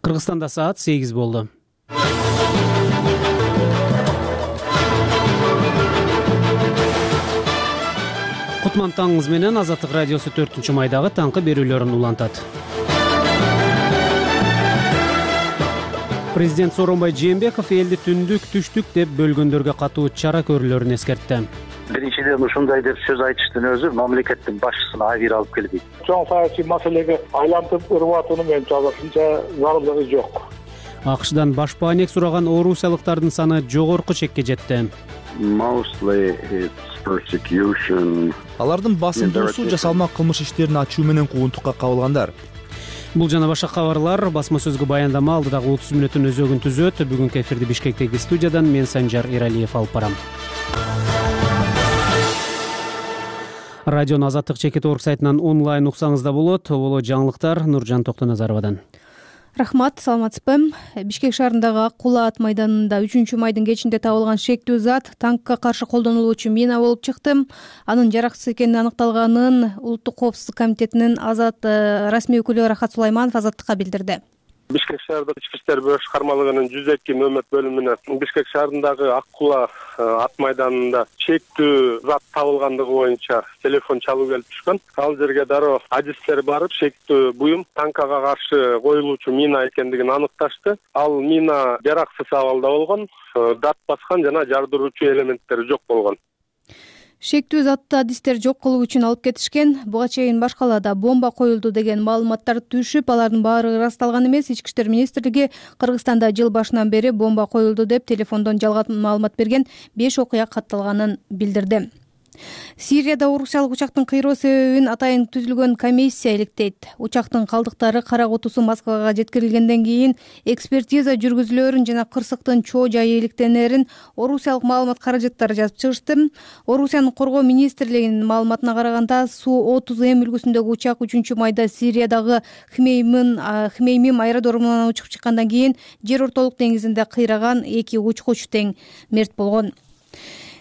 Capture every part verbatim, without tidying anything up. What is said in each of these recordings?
Кыргызстанда саат сегиз болду. Кутман таңыңыз менен Азаттык радиосу төртүнчү майдагы таңкы берүүлөрүн улантат. Президент Сооронбай Жээнбеков элди түндүк, түштүк деп бөлгөндөргө катуу чара көрүүлөрүн эскертти. Биринчиден ушундай деп сөз айтыштын өзү мамлекеттин башчысына айыр алып келбейт. Чоң саясий маселеге айлантып ырып атуунун менимче алысынча зарылдыгы жок. АКШдан баш бааник сураган орусиялыктардын саны жогорку чекке жетти. Алардын басымдуусу жасалма кылмыш иштерин ачуу менен куугунтукка кабылгандар. Бул жана башка кабарлар басма сөзгө баяндама алдыдагы отуз мүнөттүн өзөгүн түзөт. Бүгүнкү эфирди Бишкектеги студиядан мен Санжар Эралиев алып барам. Радиону Азаттык чекит орг сайтынан онлайн уксаңыз да болот. Боло жаңылыктар Нуржан Токтоназаровадан. Рахмат, саламатсызбы? Бишкек шаарындагы Ак Кулаа ат майданында үчүнчү майдын кечинде табылган шектүү зат танкка каршы колдонулуучу мина болуп чыкты. Анын жараксыз экени аныкталганын Улуттук коопсуздук комитетинин азат расмий өкүлү Рахат Сулайманов Азаттыкка билдирди. Бишкек шаарында ички иштер башкармалыгынын жүз эки нөмөт бөлүмүнө Бишкек шаарындагы Ак Кулаа ат майданында шектүү зат табылгандыгы боюнча телефон чалуу келип түшкөн. Ал жерге дароо адистер барып шектүү буюм танкага каршы коюлуучу мина экендигин аныкташты. Ал мина жараксыз абалда болгон, дат баскан жана жардыруучу элементтери жок болгон. Шектүү затты адистер жок кылуу үчүн алып кетишкен. Буга чейин баш калаада бомба коюлду деген маалыматтар түшүп, алардын баары ырасталган эмес. Ички иштер министрлиги Кыргызстанда жыл башынан бери бомба коюлду деп телефондон жалган маалымат берген беш окуя катталганын билдирди. Сирияда орусиялык учактын кыйроо себебин атайын түзүлгөн комиссия иликтейт. Учактын калдыктары кара кутусу Москвага жеткирилгенден кийин экспертиза жүргүзүлөрүн жана кырсыктын чоо жайы иликтенерин орусиялык маалымат каражаттары жазып чыгышты. Орусиянын коргоо министрлигинин маалыматына караганда, Су отуз М үлгүсүндөгү учак үчүнчү майда Сириядагы Хмеймим Хмеймим аэродромунан учуп чыккандан кийин жер ортолук деңизинде кыйраган, эки учкуч тең мерт болгон.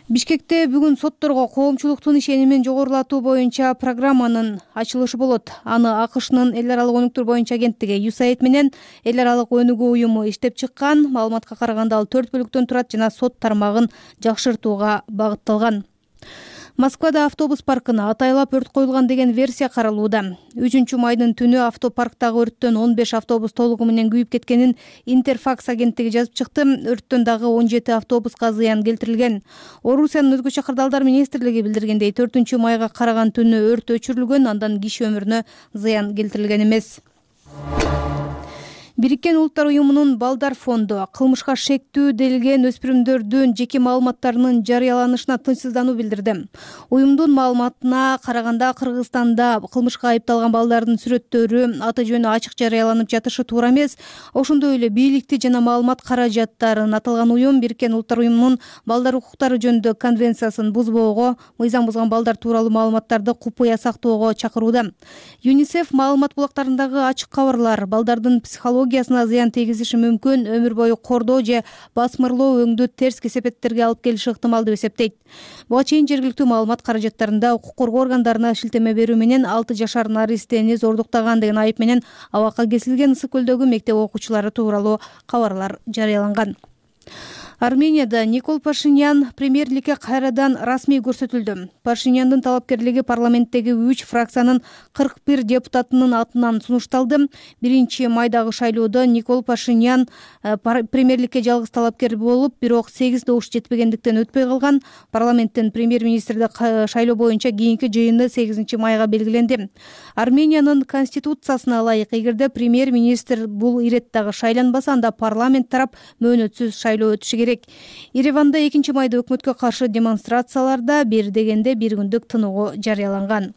Бишкекте бүгүн сотторго коомчулуктун ишенимин жогорулатуу боюнча программанын ачылышы болот. Аны АКШнын эл аралык өнүктүрүү боюнча агенттиги ю эс эй ай ди менен эл аралык өнүгүү уюму иштеп чыккан. Маалыматка караганда ал төрт бөлүктөн турат жана сот тармагын жакшыртууга багытталган. Москвада автобус паркына атайлап өрт коюлган деген версия каралууда. үчүнчү майдын түнү автопарктагы өрттөн он беш автобус толугу менен күйүп кеткенин Интерфакс агенттиги жазып чыкты. Өрттөн дагы он жети автобуска зыян келтирилген. Орусиянын өзгөчө кырдаалдар министрлиги билдиргендей, төртүнчү майга караган түнү өрт өчүрүлгөн, андан киши өмүрүнө зыян келтирилген эмес. Бириккен Улуттар уюмунун Балдар фонду кылмышка шектүү делген өспүрүмдөрдүн жеке маалыматтарынын жарыяланышына тынчсыздануу билдирди. Уюмдун маалыматына караганда, Кыргызстанда кылмышка айыпталган балдардын сүрөттөрү, аты жөнү ачык жарыяланып жатышы туура эмес. Ошондой эле бийликти жана маалымат каражаттарын аталган уюм Бириккен Улуттар уюмунун балдар укуктары жөнүндө конвенциясын бузбоого, мыйзам бузган балдар тууралуу маалыматтарды купуя сактоого чакырууда. ЮНИСЕФ маалымат булактарындагы ачык кабарлар балдардын психология зыян тийгизиши мүмкүн, өмүр бою кордоо же басмырлоо өңдү терс кесепеттерге алып келиши ыктымал деп эсептейт. Буга чейин жергиликтүү маалымат каражаттарында укук коргоо органдарына шилтеме берүү менен алты жашар наристени зордуктаган деген айып менен абакка кесилген Ысык көлдөгү мектеп окуучулары тууралуу кабарлар жарыяланган. Арменияда Никол Пашинян премьерликке кайрадан расмий көрсөтүлдү. Пашиняндын талапкерлиги парламенттеги үч фракциянын кырк бир депутатынын атынан сунушталды. Биринчи майдагы шайлоодо Никол Пашинян премьерликке жалгыз талапкер болуп, бирок сегиз добуш жетпегендиктен өтпөй калган. Парламенттин премьер-министрди шайлоо боюнча кийинки жыйыны сегизинчи майга белгиленди. Армениянын конституциясына ылайык, эгерде премьер-министр бул иреттагы шайланбаса, анда парламент тарап мөөнөтсүз шайлоо өтүшү керек. Ереванда экинчи майда өкмөткө каршы демонстрацияларда бир дегенде бир күндүк тынугу жарыяланган.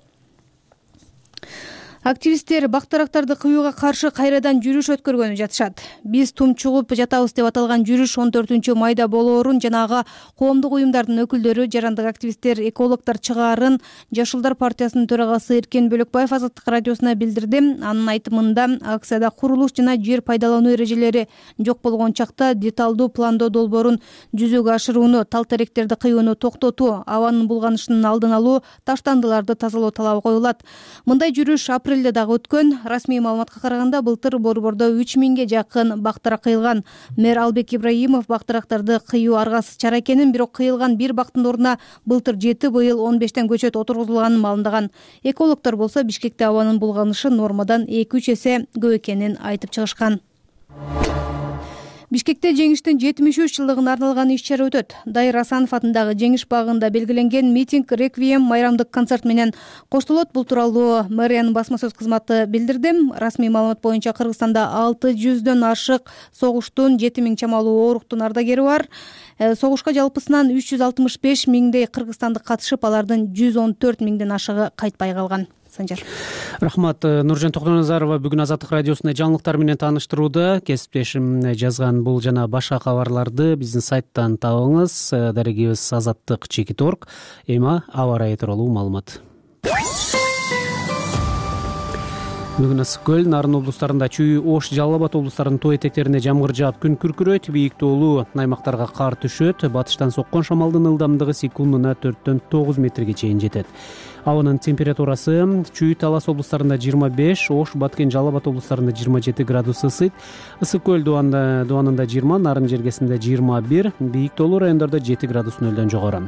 Активисттер бактарактарды кыюуга каршы кайрадан жүрүш өткөргөнү жатышат. Биз тумчугуп жатабыз деп аталган жүрүш он төртүнчү майда болоорун жана ага коомдук уюмдардын өкүлдөрү, жарандык активисттер, экологдор чыгаарын Жашылдар партиясынын төрагасы Эркен Бөлөкбаев Азаттык радиосуна билдирди. Анын айтымында, акцияда курулуш жана жер пайдалануу эрежелери жок болгон чакта деталдуу пландоо долбоорун жүзөгө ашырууну, тал теректерди кыюуну токтотуу, абанын булганышынын алдын алуу, таштандыларды тазалоо талабы коюлат. Мындай жүрүш апрель элде дагы өткөн. Расмий маалыматка караганда былтыр борбордо үч миңге жакын бактырак кыйылган. Мэр Албек Ибраимов бактырактарды кыюу аргасыз чара экенин, бирок кыйылган бир бактын ордуна былтыр жети, быйыл он бештен көчөт отургузулганын маалымдаган. Экологдор болсо Бишкекте абанын булганышы нормадан эки үч эсе көп экенин айтып чыгышкан. Бишкекте жеңиштин жетимиш үч жылдыгына арналган иш-чара өтөт. Дайыр Асанов атындагы Жеңиш багында белгиленген митинг реквием майрамдык концерт менен коштолот. Бул тууралуу мэриянын басма сөз кызматы билдирди. Расмий маалымат боюнча Кыргызстанда алты жүздөн ашык согуштун, жети миң чамалуу ооруктун ардагери бар. Согушка жалпысынан үч жүз алтымыш беш миңдей кыргызстандык катышып, алардын жүз он төрт миңден ашыгы кайтпай калган. Санжар. Рахмат. Нуржан Токтоназарова бүгүн Азаттык радиосунда жаңылыктар менен тааныштырууда. Кесиптешим жазган бул жана башка кабарларды биздин сайттан табыңыз. Дарегибиз азаттык чекит точка орг. Эми аба ырайы тууралуу маалымат. Бүгүн Ысык көл, Нарын облустарында Чүй, Ош, Жалал Абад облустарынын тоо этектерине жамгыр жаап, күн күркүрөйт, бийик тоолуу аймактарга кар түшөт. Батыштан соккон шамалдын ылдамдыгы секундуна төрттөн тогуз метрге чейин жетет. Абанын температурасы Чүй, Талас облустарында жыйырма беш, Ош, Баткен, Жалал Абад облустарында жыйырма жети градус ысыйт. Ысык көл дубанында жыйырма, Нарын жергесинде жыйырма бир, бийик тоолуу райондордо жети градус нөлдөн жогору.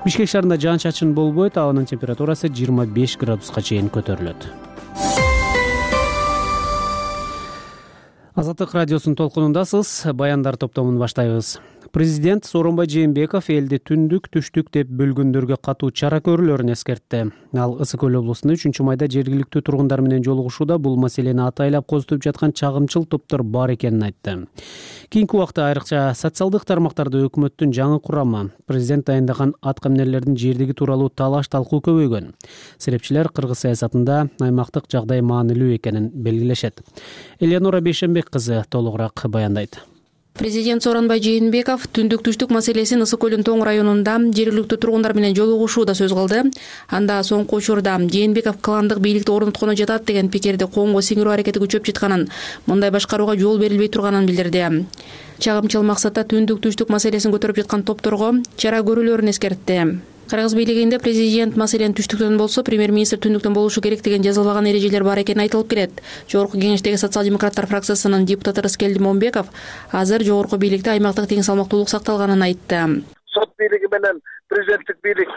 Бишкек шаарында жаан-чачын болбойт, абанын температурасы жыйырма беш градуска чейин көтөрүлөт. Азаттык радиосунун толкунундасыз. Баяндар топтомун баштайбыз. Президент Сооронбай Жээнбеков элди түндүк, түштүк деп бөлгөндөргө катуу чара көрүүлөрүн эскертти. Ал Ысык көл облусунда үчүнчү майда жергиликтүү тургундар менен жолугушууда бул маселени атайлап козутуп жаткан чагымчыл топтор бар экенин айтты. Кийинки убакта айрыкча социалдык тармактарда өкмөттүн жаңы курамы, президент дайындаган аткаминерлердин жердиги тууралуу талаш-талкуу көбөйгөн. Серепчилер кыргыз саясатында аймактык жагдай маанилүү экенин белгилешет. Элеонора Бейшенбек кызы толугураак баяндайт. Президент Сооронбай Жээнбеков түндүк түштүк маселесин Ысык көлдүн тоң районунда жергиликтүү тургундар менен жолугушууда сөз кылды. Анда соңку учурда Жээнбеков кландык бийликти орнотконо жатат деген пикирди коомго сиңирүү аракети күчөп жатканын, мындай башкарууга жол берилбей турганын билдирди. Чагымчыл максатта түндүк түштүк маселесин көтөрүп жаткан топторго чара көрүүлөрүн эскертти. Кыргыз бийлигинде президент маселен түштүктөн болсо премьер-министр түндүктөн болушу керек деген жазылбаган эрежелер бар экени айтылып келет. Жогорку кеңештеги социал-демократтар фракциясынын депутаты Рыскелди Момбеков азыр жогорку бийликте аймактык тең салмактуулук сакталганын айтты. Сот бийлиги менен президенттик бийлик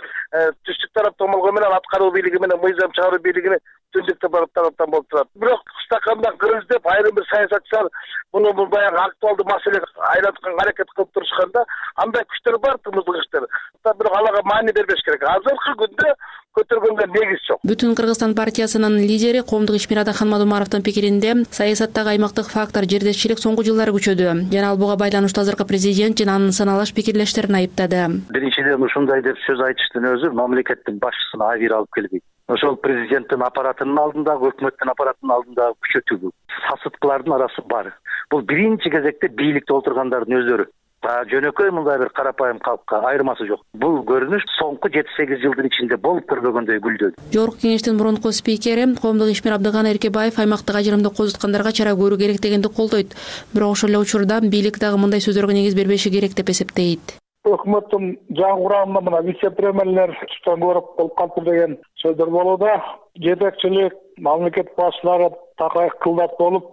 түштүк тараптан болгону менен аткаруу бийлиги менен мыйзам чыгаруу бийлигини түндүктө тараптан болуп турат. Бирок стакандан кыргыз деп айрым бир саясатчылар муну бул баягы актуалдуу маселеге айлантканга аракет кылып турушканда андай күчтөр бар, тымыздык күчтөр. Бирок аларга маани бербеш керек. Азыркы күндө көтөргөнгө негиз жок. Бүтүн Кыргызстан партиясынын лидери Коомдук ишмер Мадумаровдун пикиринде саясаттагы аймактык фактор жердешчилик соңку жылдары күчөдү. Жана ал буга байланыштуу азыркы президент жана анын саналаш пикирлештерин айыптады. Биринчиден ушундай деп сөз айтыштын өзү мамлекеттин башчысына айыр алып келбейт. Ошол президенттин аппаратынын алдындагы, өкмөттүн аппаратынын алдындагы күчөтүү, сасыткылардын арасы бар. Бул биринчи кезекте бийликте отургандардын өздөрү. Жөнөкөй мындай бир карапайым калкка айырмасы жок. Бул көрүнүш соңку жети сегиз жылдын ичинде болуп көрбөгөндөй күлдөдү. Жогорку кеңештин мурунку спикери Коомдук ишмер Абдыган Эркебаев аймактык ажырымды козуткандарга чара көрүү керек дегенди колдойт. Бирок ошол эле учурда бийлик дагы мындай сөздөргө негиз бербеши керек деп эсептейт. Өкмөттүн жаңы курамында мына вице-премьерлер туштан көрүп болуп калыптыр деген сөздөр болууда. Жетекчилик, мамлекет башчылары такай кылдат болуп,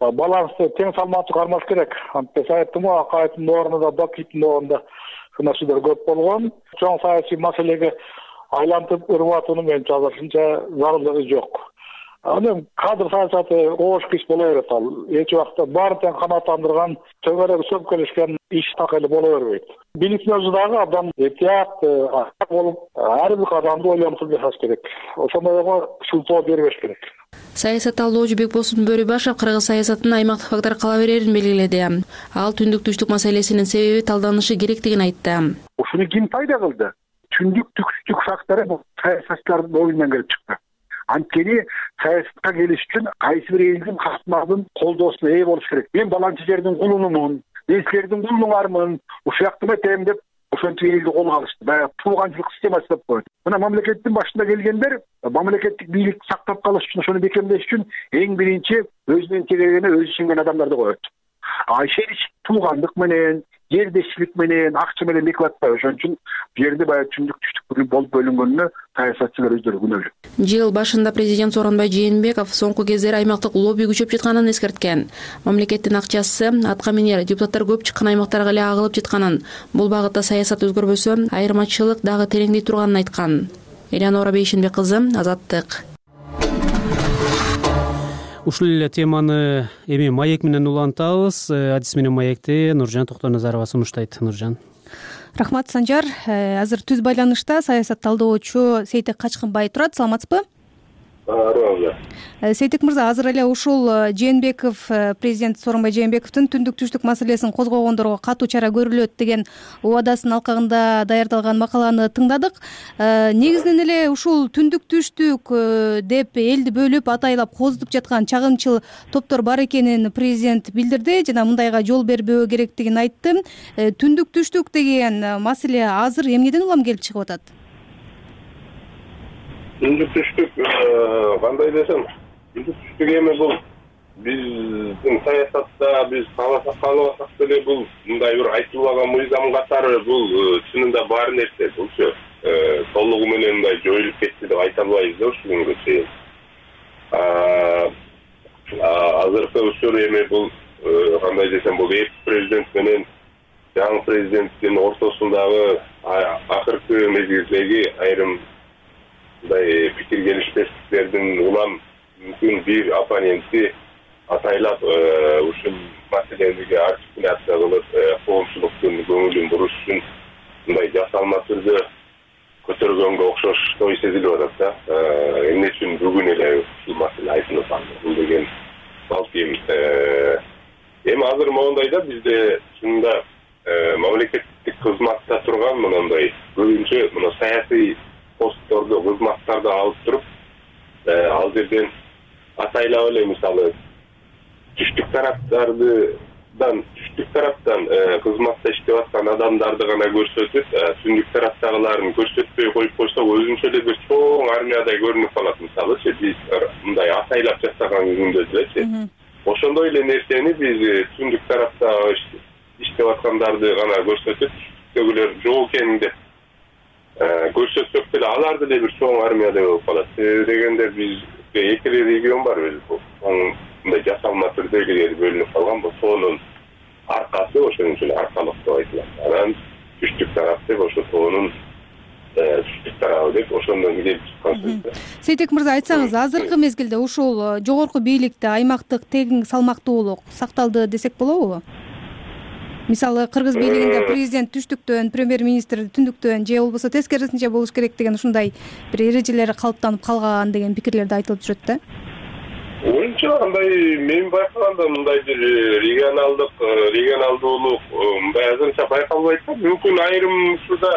балансты тең салмактуу кармаш керек. Антип айттым го, Акаевдин орнунда, Бакиевдин орнунда ушундай сөздөр көп болгон. Чоң саясий маселеге айлантып ырбатуунун менимче азырынча зарылдыгы жок. Анан кадр саясаты оош иш боло берет ал. Эч убакта баарын тең канааттандырган, төгөрөк сөмкөлөшкөн иш так эле боло бербейт. Бийликтин өзү дагы абдан этият болуп, ар бир кадамды ойлонуп жасаш керек. Ошондойго шултоо бербеш керек. Саясат талоочу Бекбосун Бөрүбашев кыргыз саясатынын аймактык фактор кала берерин белгиледи. Ал түндүк түштүк маселесинин себеби талданышы керектигин айтты. Ушуну ким пайда кылды? Түндүк түштүк фактору бул саясатчылардын оюнан келип чыкты. Анткени саясатка келиш үчүн кайсы бир элдин катмардын колдоосуна ээ болуш керек. Мен баланчы жердин кулунумун, мен силердин кулуңармын, ушуяктым этем деп ошентип элди колго алышты. Баягы тууганчылык системасы деп койду. Мына мамлекеттин башында келгендер мамлекеттик бийликти сактап калыш үчүн, ошону бекемдеш үчүн эң биринчи өзүнүн тегерегине өзү ишенген адамдарды коет. а ишенич туугандык менен, жердешчилик менен, акча менен бекип атпайбы. Ошон үчүн бул жерде баягы түндүк түштүк болуп бөлүнгөнүнө саясатчылар өздөрү күнөөлүү. Жыл башында президент Сооронбай Жээнбеков соңку кездери аймактык лобби күчөп жатканын эскерткен. Мамлекеттин акчасы атка минер депутаттар көп чыккан аймактарга эле агылып жатканын, бул багытта саясат өзгөрбөсө, айырмачылык дагы тереңдей турганын айткан. Элеонора Бейшенбек кызы, Азаттык. Ушул эле теманы эми маек менен улантабыз. Адис менен маекти Нуржан Токтоназарова сунуштайт. Нуржан. Рахмат, Санжар. Азыр түз байланышта саясат талдоочу Сейтек Качкынбай турат. Саламатсызбы? Сейтек мырза, азыр эле ушул Жээнбеков, президент Сооронбай Жээнбековдун түндүк түштүк маселесин козгогондорго катуу чара көрүлөт деген убадасын алкагында даярдалган макаланы тыңдадык. Негизинен эле ушул түндүк түштүк деп элди бөлүп атайлап козутуп жаткан чагымчыл топтор бар экенин президент билдирди жана мындайга жол бербөө керектигин айтты. Түндүк түштүк деген маселе азыр эмнеден улам келип чыгып атат? Түндүк түштүк кандай десем, түндүк түштүк эми бул биздин саясатта биз кааласак каалабасак деле бул мындай бир айтылбаган мыйзам катары бул чынында бар нерсе. Булчу толугу менен мындай жоюлуп кетти деп айта албайбыз да ушул күнгө чейин. Азыркы учур эми бул кандай десем, бул эки президент менен жаңы президенттин ортосундагы акыркы мезгилдеги айрым мындай пикир келишпестиктердин улам мүмкүн бир оппоненти атайлап ушул маселеге артикуляция кылып коомчулуктун көңүлүн буруш үчүн мындай жасалма түрдө көтөргөнгө окшош ой сезилип атат да. Эмне үчүн бүгүн эле ушул маселе айтылып атат? Бул деген балким эми азыр моундай да, бизде чынында мамлекеттик кызматта турган мындай көбүнчө мына саясий постторду, кызматтарды алып туруп, ал жерден атайлап эле мисалы түштүк тараптардан, түштүк тараптан кызматта иштеп аткан адамдарды гана көрсөтүп, түндүк тараптагыларын көрсөтпөй коюп койсок, өзүнчө эле бир чоң армиядай көрүнүп калат. Мисалы, биз мындай атайлап жасаган күндө делечи. Ошондой эле нерсени биз түндүк тарапта иштеп аткандарды гана көрсөтүп, түштүктөгүлөр жок экен деп көрсөтсөк деле алар деле бир чоң армиядай болуп калат. Дегенде бизде эки регион бар өзү. Мындай жасалма түрдө эле бөлүнүп калган бул тоонун аркасы, ошон үчүн аркалык деп айтылат. Анан түштүк тарап деп ошо тоонун түштүк тарабы деп ошондон келип чыккан сөз. Сейтек мырза, айтсаңыз, азыркы мезгилде ушул жогорку бийликте аймактык тең салмактуулук сакталды десек болобу? Мисалы, Кыргыз бийлигинде президент түштүктөн, премьер-министр түндүктөн же болбосо тескерисинче болуш керек деген ушундай бир эрежелери калыптанып калган деген пикирлерди айтылып жүрөт да. Оюнча андай мен байкаганда мындай бир регионалдык, регионалдуулук мындай азырынча байкалбайт да. Мүмкүн айрым ушуда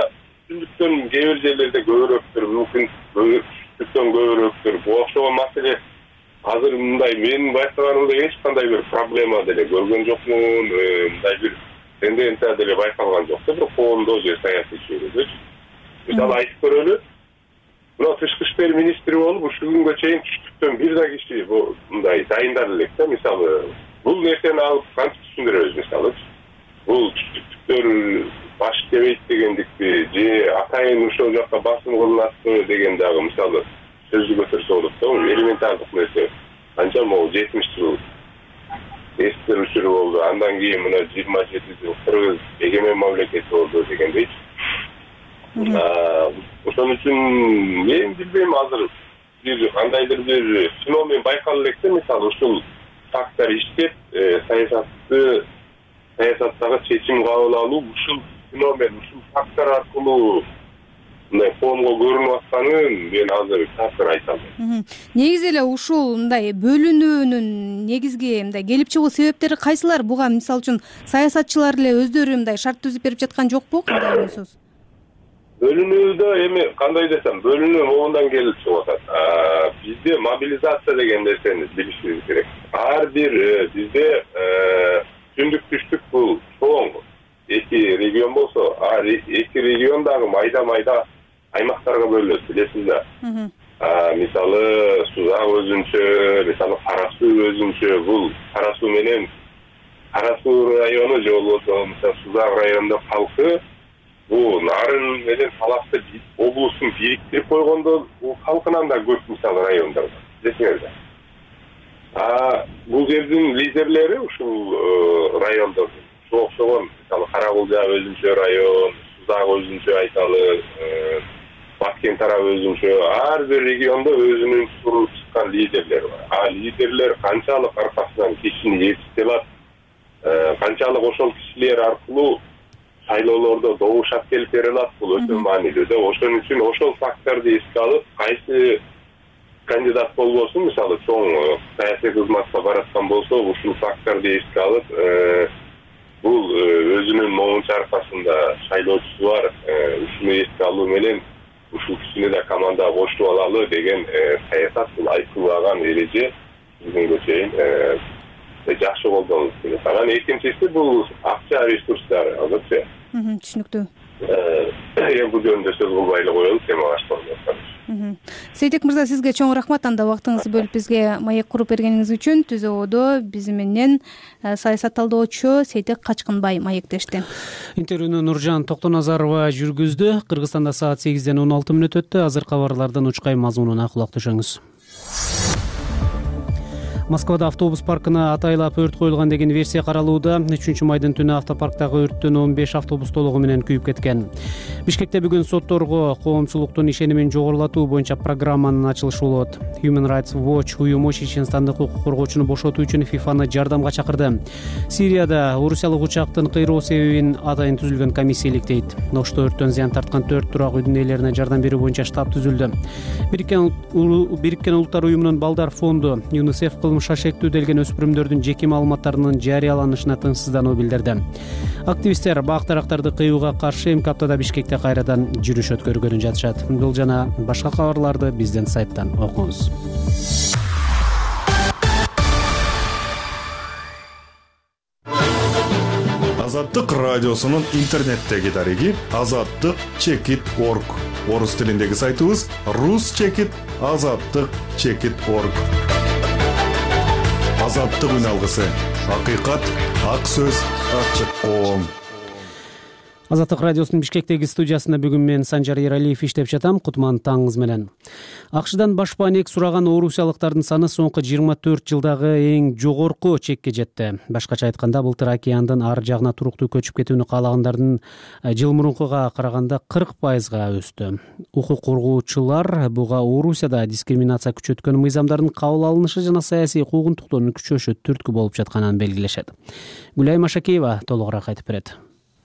түндүктөн кээ бир жерлерде көбүрөөктүр, мүмкүн түштүктөн көбүрөөктүр. Бул окшогон маселе азыр мындай мен байкаганымда эч кандай бир проблема деле көргөн жокмун, мындай бир тенденция деле байкалган жок да, бир коомдо же саясий чөйрөдө. Мисалы айтып көрөлү, мына тышкы иштер министри болуп ушул күнгө чейин түштүктөн бир да киши мындай дайындар элек да. Мисалы, бул нерсени алып кантип түшүндүрөбүз? Мисалы, бул түштүктөр баш дебейт дегендикти же атайын ошол жакка басым кылынатпы деген дагы мисалы сөздү көтөрсө болот да. Элементардык нерсе. Канча могу жетимиш жыл эстер учуру болду. Андан кийин мына жыйырма жети жыл Кыргыз эгемен мамлекет болду дегендей. Ошон үчүн мен билбейм, азыр бир кандайдыр бир феномен байкала элек да. Мисалы, ушул фактор иштеп, саясатты саясаттагы чечим кабыл алуу ушул феномен, ушул фактор аркылуу мындай коомго көрүнүп атканын мен азыр такыр айта албайм. Негизи эле ушул мындай бөлүнүүнүн негизги мындай келип чыгуу себептери кайсылар? Буга мисалы үчүн саясатчылар эле өздөрү мындай шарт түзүп берип жаткан жокпу? Кандай ойлойсуз? Бөлүнүүдө эми кандай десем, бөлүнүү могундан келип чыгып атат. Бизде мобилизация деген нерсени билишибиз керек. Ар бир бизде түндүк түштүк бул чоң эки регион болсо, ар эки регион дагы майда-майда аймактарга бөлүнөт, билесиз да. Мисалы, Сузак өзүнчө, мисалы Кара Суу өзүнчө. Бул Кара Суу менен Кара Суу району же болбосо мисалы Сузак районунда калкы бул Нарын менен Талапты облустун бириктирип койгондо бул калкынан да көп мисалы райондар десеңерде. А бул жердин лидерлери ушул райондор ушуга окшогон мисалы Каракулжа өзүнчө район, Сузак өзүнчө айталы, Баткен тарабы өзүнчө, ар бир региондо өзүнүн туруп чыккан лидерлери бар. А лидерлер канчалык аркасынан кишини жетиштеп алат, канчалык ошол кишилер аркылуу шайлоолордо добуш алып бере алат, бул өтө маанилүү да. Ошон үчүн ошол факторду эске алып, кайсы кандидат болбосун, мисалы чоң саясий кызматка бараткан болсо, ушул факторду эске алып, бул өзүнүн моунчу аркасында шайлоочусу бар, ушуну эске алуу менен ушул кишини да командага коштуп алалы деген саясат, бул айкыбаган эреже бүгүнгө чейин жакшы колдонулуп келет. Анан экинчиси бул акча ресурстары, албетте. Түшүнүктүү. Эми бул жөнүндө сөз кылбай эле коелу, тема башталды. Сейтек мырза, сизге чоң рахмат анда убактыңызды бөлүп бизге маек куруп бергениңиз үчүн. Түзөөдө биз менен саясатталдоочу Сейтек Качкынбай маектешти. Интервьюну Нуржан Токтоназарова жүргүздү. Кыргызстанда саат сегизден он алты мүнөт өттү. Азыр кабарлардын учкай мазмунуна кулак түшөңүз. Москвада автобус паркына атайлап өрт коюлган деген версия каралууда. үчүнчү майдын түнү автопарктагы өрттөн он беш автобус толугу менен күйүп кеткен. Бишкекте бүгүн сотторго коомчулуктун ишенимин жогорулатуу боюнча программанын ачылышы болот. Human Rights Watch уюму чеченстандык укук коргоочуну бошотуу үчүн ФИФАны жардамга чакырды. Сирияда орусиялык учактын кыйроо себебин атайын түзүлгөн комиссия иликтейт. Ношто өрттөн зыян тарткан төрт турак үйдүн ээлерине жардам берүү боюнча штаб түзүлдү. Бириккен Улуттар уюмунун Балдар фонду ЮНИСЕФ кылмышка шектүү делген өспүрүмдөрдүн жеке маалыматтарынын жарыяланышына тынчсыздануу билдирди. Активисттер бак тарактарды кыюуга каршы эмки аптада Бишкекте кайрадан жүрүш өткөргөнү жатышат. Бул жана башка кабарларды биздин сайттан окуңуз. Азаттык радиосунун интернеттеги дареги азаттык чекит точка орг. Орус тилиндеги сайтыбыз рус чекит азаттык чекит точка орг. Азаттык үн алгысы. Акыйкат, ак сөз, ачык коом. Азаттык радиосунун Бишкектеги студиясында бүгүн мен Санжар Эралиев иштеп жатам. Кутман таңыңыз менен. АКШдан баш баанек сураган орусиялыктардын саны соңку жыйырма төрт жылдагы эң жогорку чекке жетти. Башкача айтканда, былтыр океандын ар жагына туруктуу көчүп кетүүнү каалагандардын жыл мурункуга караганда кырк пайызга өстү. Укук коргоочулар буга Орусияда дискриминация күчөткөн мыйзамдардын кабыл алынышы жана саясий куугунтуктоонун күчөшү түрткү болуп жатканын белгилешет. Гүлай Машакеева толугураак айтып берет.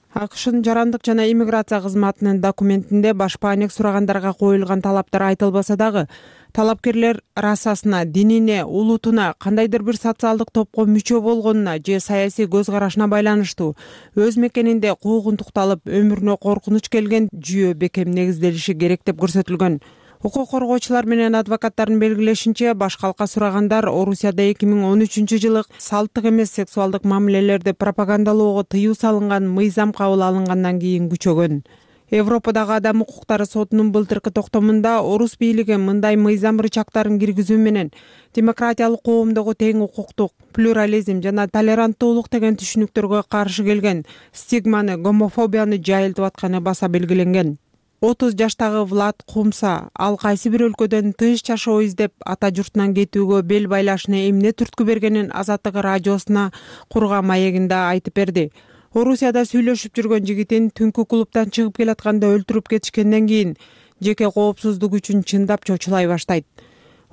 АКШнын жарандык жана иммиграция кызматынын документинде баш баанек сурагандарга коюлган талаптар айтылбаса дагы, талапкерлер расасына, динине, улутуна, кандайдыр бир социалдык топко мүчө болгонуна же саясий көз карашына байланыштуу өз мекенинде куугунтукталып, өмүрүнө коркунуч келген жүйө бекем негизделиши керек деп көрсөтүлгөн. Укук коргоочулар менен адвокаттардын белгилешинче, баш калка сурагандар Орусияда эки миң он үчүнчү жылы салттык эмес сексуалдык мамилелерди пропагандалоого тыюу салынган мыйзам кабыл алынгандан кийин күчөгөн. Европадагы адам укуктары сотунун былтыркы токтомунда орус бийлиги мындай мыйзам рычагтарын киргизүү менен демократиялык коомдогу тең укуктук, плюрализм жана толеранттуулук деген түшүнүктөргө каршы келген стигманы, гомофобияны жайылтып атканы баса белгиленген. отуз жаштагы Влад Кумса ал кайсы бир өлкөдөн тынч жашоо издеп ата журтунан кетүүгө бел байлашына эмне түрткү бергенин Азаттык радиосуна курган маегинде айтып берди. Орусияда сүйлөшүп жүргөн жигитин түнкү клубтан чыгып келатканда өлтүрүп кетишкенден кийин жеке коопсуздук үчүн чындап чочулай баштайт.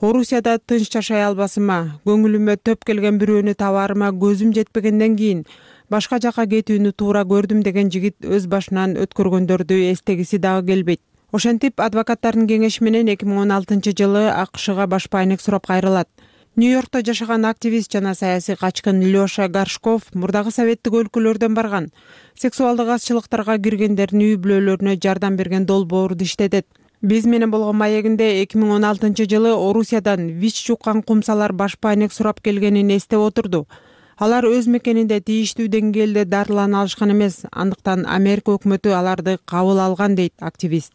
Орусияда тынч жашай албасыма, көңүлүмө төп келген бирөөнү табарыма көзүм жетпегенден кийин башка жака кетүүнү туура көрдүм деген жигит өз башынан өткөргөндөрдү эстегиси дагы келбейт. Ошентип, адвокаттардын кеңеши менен эки миң он алтынчы жылы АКШга баш баанек сурап кайрылат. Нью-Йоркто жашаган активист жана саясий качкын Лёша Горшков мурдагы советтик өлкөлөрдөн барган. Сексуалдык азчылыктарга киргендердин үй бүлөлөрүнө жардам берген долбоорду иштетет. Биз менен болгон маегинде эки миң он алтынчы жылы Орусиядан ВИЧ жуккан кумсалар баш баанек сурап келгенин эстеп отурду. Алар өз мекенинде тийиштүү деңгээлде дарылана алышкан эмес, андыктан Америка өкмөтү аларды кабыл алган дейт активист.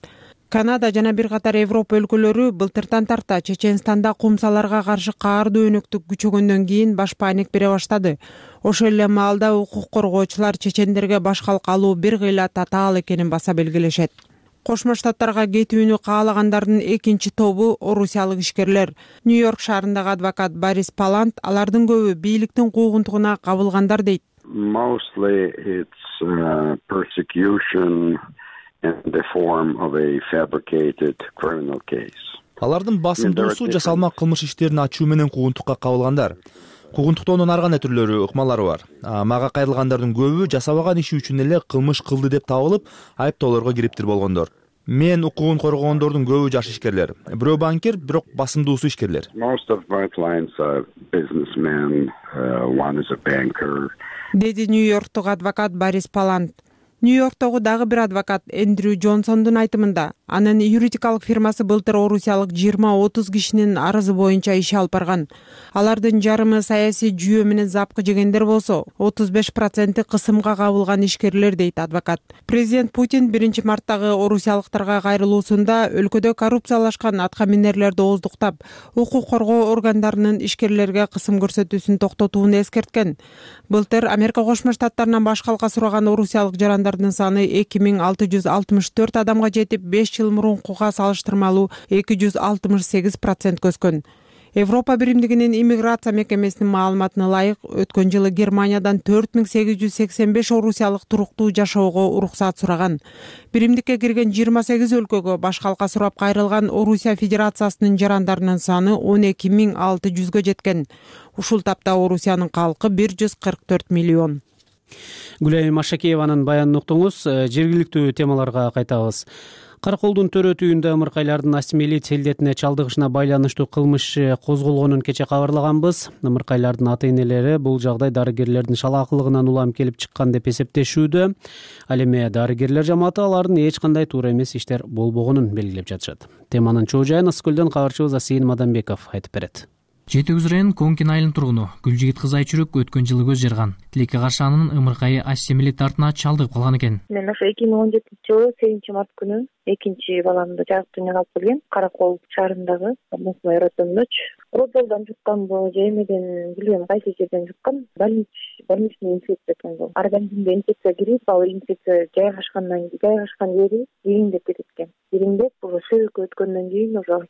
Канада жана бир катар Европа өлкөлөрү былтыртан тарта Чеченстанда кумсаларга каршы каардуу өнөктүк күчөгөндөн кийин баш паник бере баштады. Ошол эле маалда укук коргоочулар чечендерге баш калк алуу бир кыйла татаал экенин баса белгилешет. Кошмо Штаттарга кетүүнү каалагандардын экинчи тобу орусиялык ишкерлер. Нью-Йорк шаарындагы адвокат Борис Палант алардын көбү бийликтин куугунтугуна кабылгандар дейт. Mostly it's uh, persecution in the form of a fabricated criminal case. Алардын басымдуусу жасалма кылмыш иштерин ачуу менен куугунтукка кабылгандар. Куугунтуктоонун ар кандай түрлөрү, ыкмалары бар. Мага кайрылгандардын көбү жасабаган иши үчүн эле кылмыш кылды деп табылып, айыптоолорго кириптир болгондор. Мен укугун коргогондордун көбү жаш ишкерлер. Бирөө банкир, бирок басымдуусу ишкерлер. Most of my clients are businessmen, uh, one is a banker. Деди Нью-Йорктук адвокат Борис Палант. Нью-Йорктогу дагы бир адвокат Эндрю Джонсондун айтымында, анын юридикалык фирмасы былтыр орусиялык жыйырма отуз кишинин арызы боюнча иш алып барган. Алардын жарымы саясий жүйө менен запкы жегендер болсо, отуз беш проценти кысымга кабылган ишкерлер дейт адвокат. Президент Путин биринчи марттагы орусиялыктарга кайрылуусунда өлкөдө коррупциялашкан атка минерлерди ооздуктап, укук коргоо органдарынын ишкерлерге кысым көрсөтүүсүн токтотууну эскерткен. Былтыр Америка Кошмо Штаттарынан баш калка сураган орусиялык жарандардын саны эки миң алты жүз алтымыш төрт адамга жетип, беш жыл мурункуга салыштырмалуу эки жүз алтымыш сегиз процент өскөн. Европа биримдигинин иммиграция мекемесинин маалыматына ылайык, өткөн жылы Германиядан төрт миң сегиз жүз сексен беш орусиялык туруктуу жашоого уруксаат сураган. Биримдикке кирген жыйырма сегиз өлкөгө баш калка сурап кайрылган Орусия Федерациясынын жарандарынын саны он эки миң алты жүзгө жеткен. Ушул тапта Орусиянын калкы бир жүз кырк төрт миллион. Гүлайым Машакееванын баянын уктуңуз. Жергиликтүү темаларга кайтабыз. Караколдун төрөтүүндө ымыркайлардын асимилит селдетине чалдыгышына байланыштуу кылмыш козголгонун кече кабарлаганбыз. Ымыркайлардын ата-энелери бул жагдай дарыгерлердин шалаакылыгынан улам келип чыккан деп эсептешүүдө. Ал эми дарыгерлер жамааты алардын эч кандай туура эмес иштер болбогонун белгилеп жатышат. Теманын чоо жайын Ысык көлдөн кабарчыбыз Асейин Мадамбеков айтып берет. Жети Үз районунун Конкин айылынын тургуну Гүлжигит кызы Айчүрөк өткөн жылы көз жарган. Тилекке каршы анын ымыркайы асимилит артына чалдыгып калган экен. Мен ошо эки миң он жетинчи жылы сегизинчи март күнү экинчи баламды жагып дүйнөгө алып келгем. Каракол шаарындагы мусмай роддомдочу. Роддомдон жукканбы же эмеден билбейм, кайсы жерден жуккан. Больничный инфекция экен бул. Организмге инфекция кирип, ал инфекция жайгашкандан кийин жайгашкан жери ириңдеп кетет экен. Ириңдеп, бул сөөккө өткөндөн кийин ошо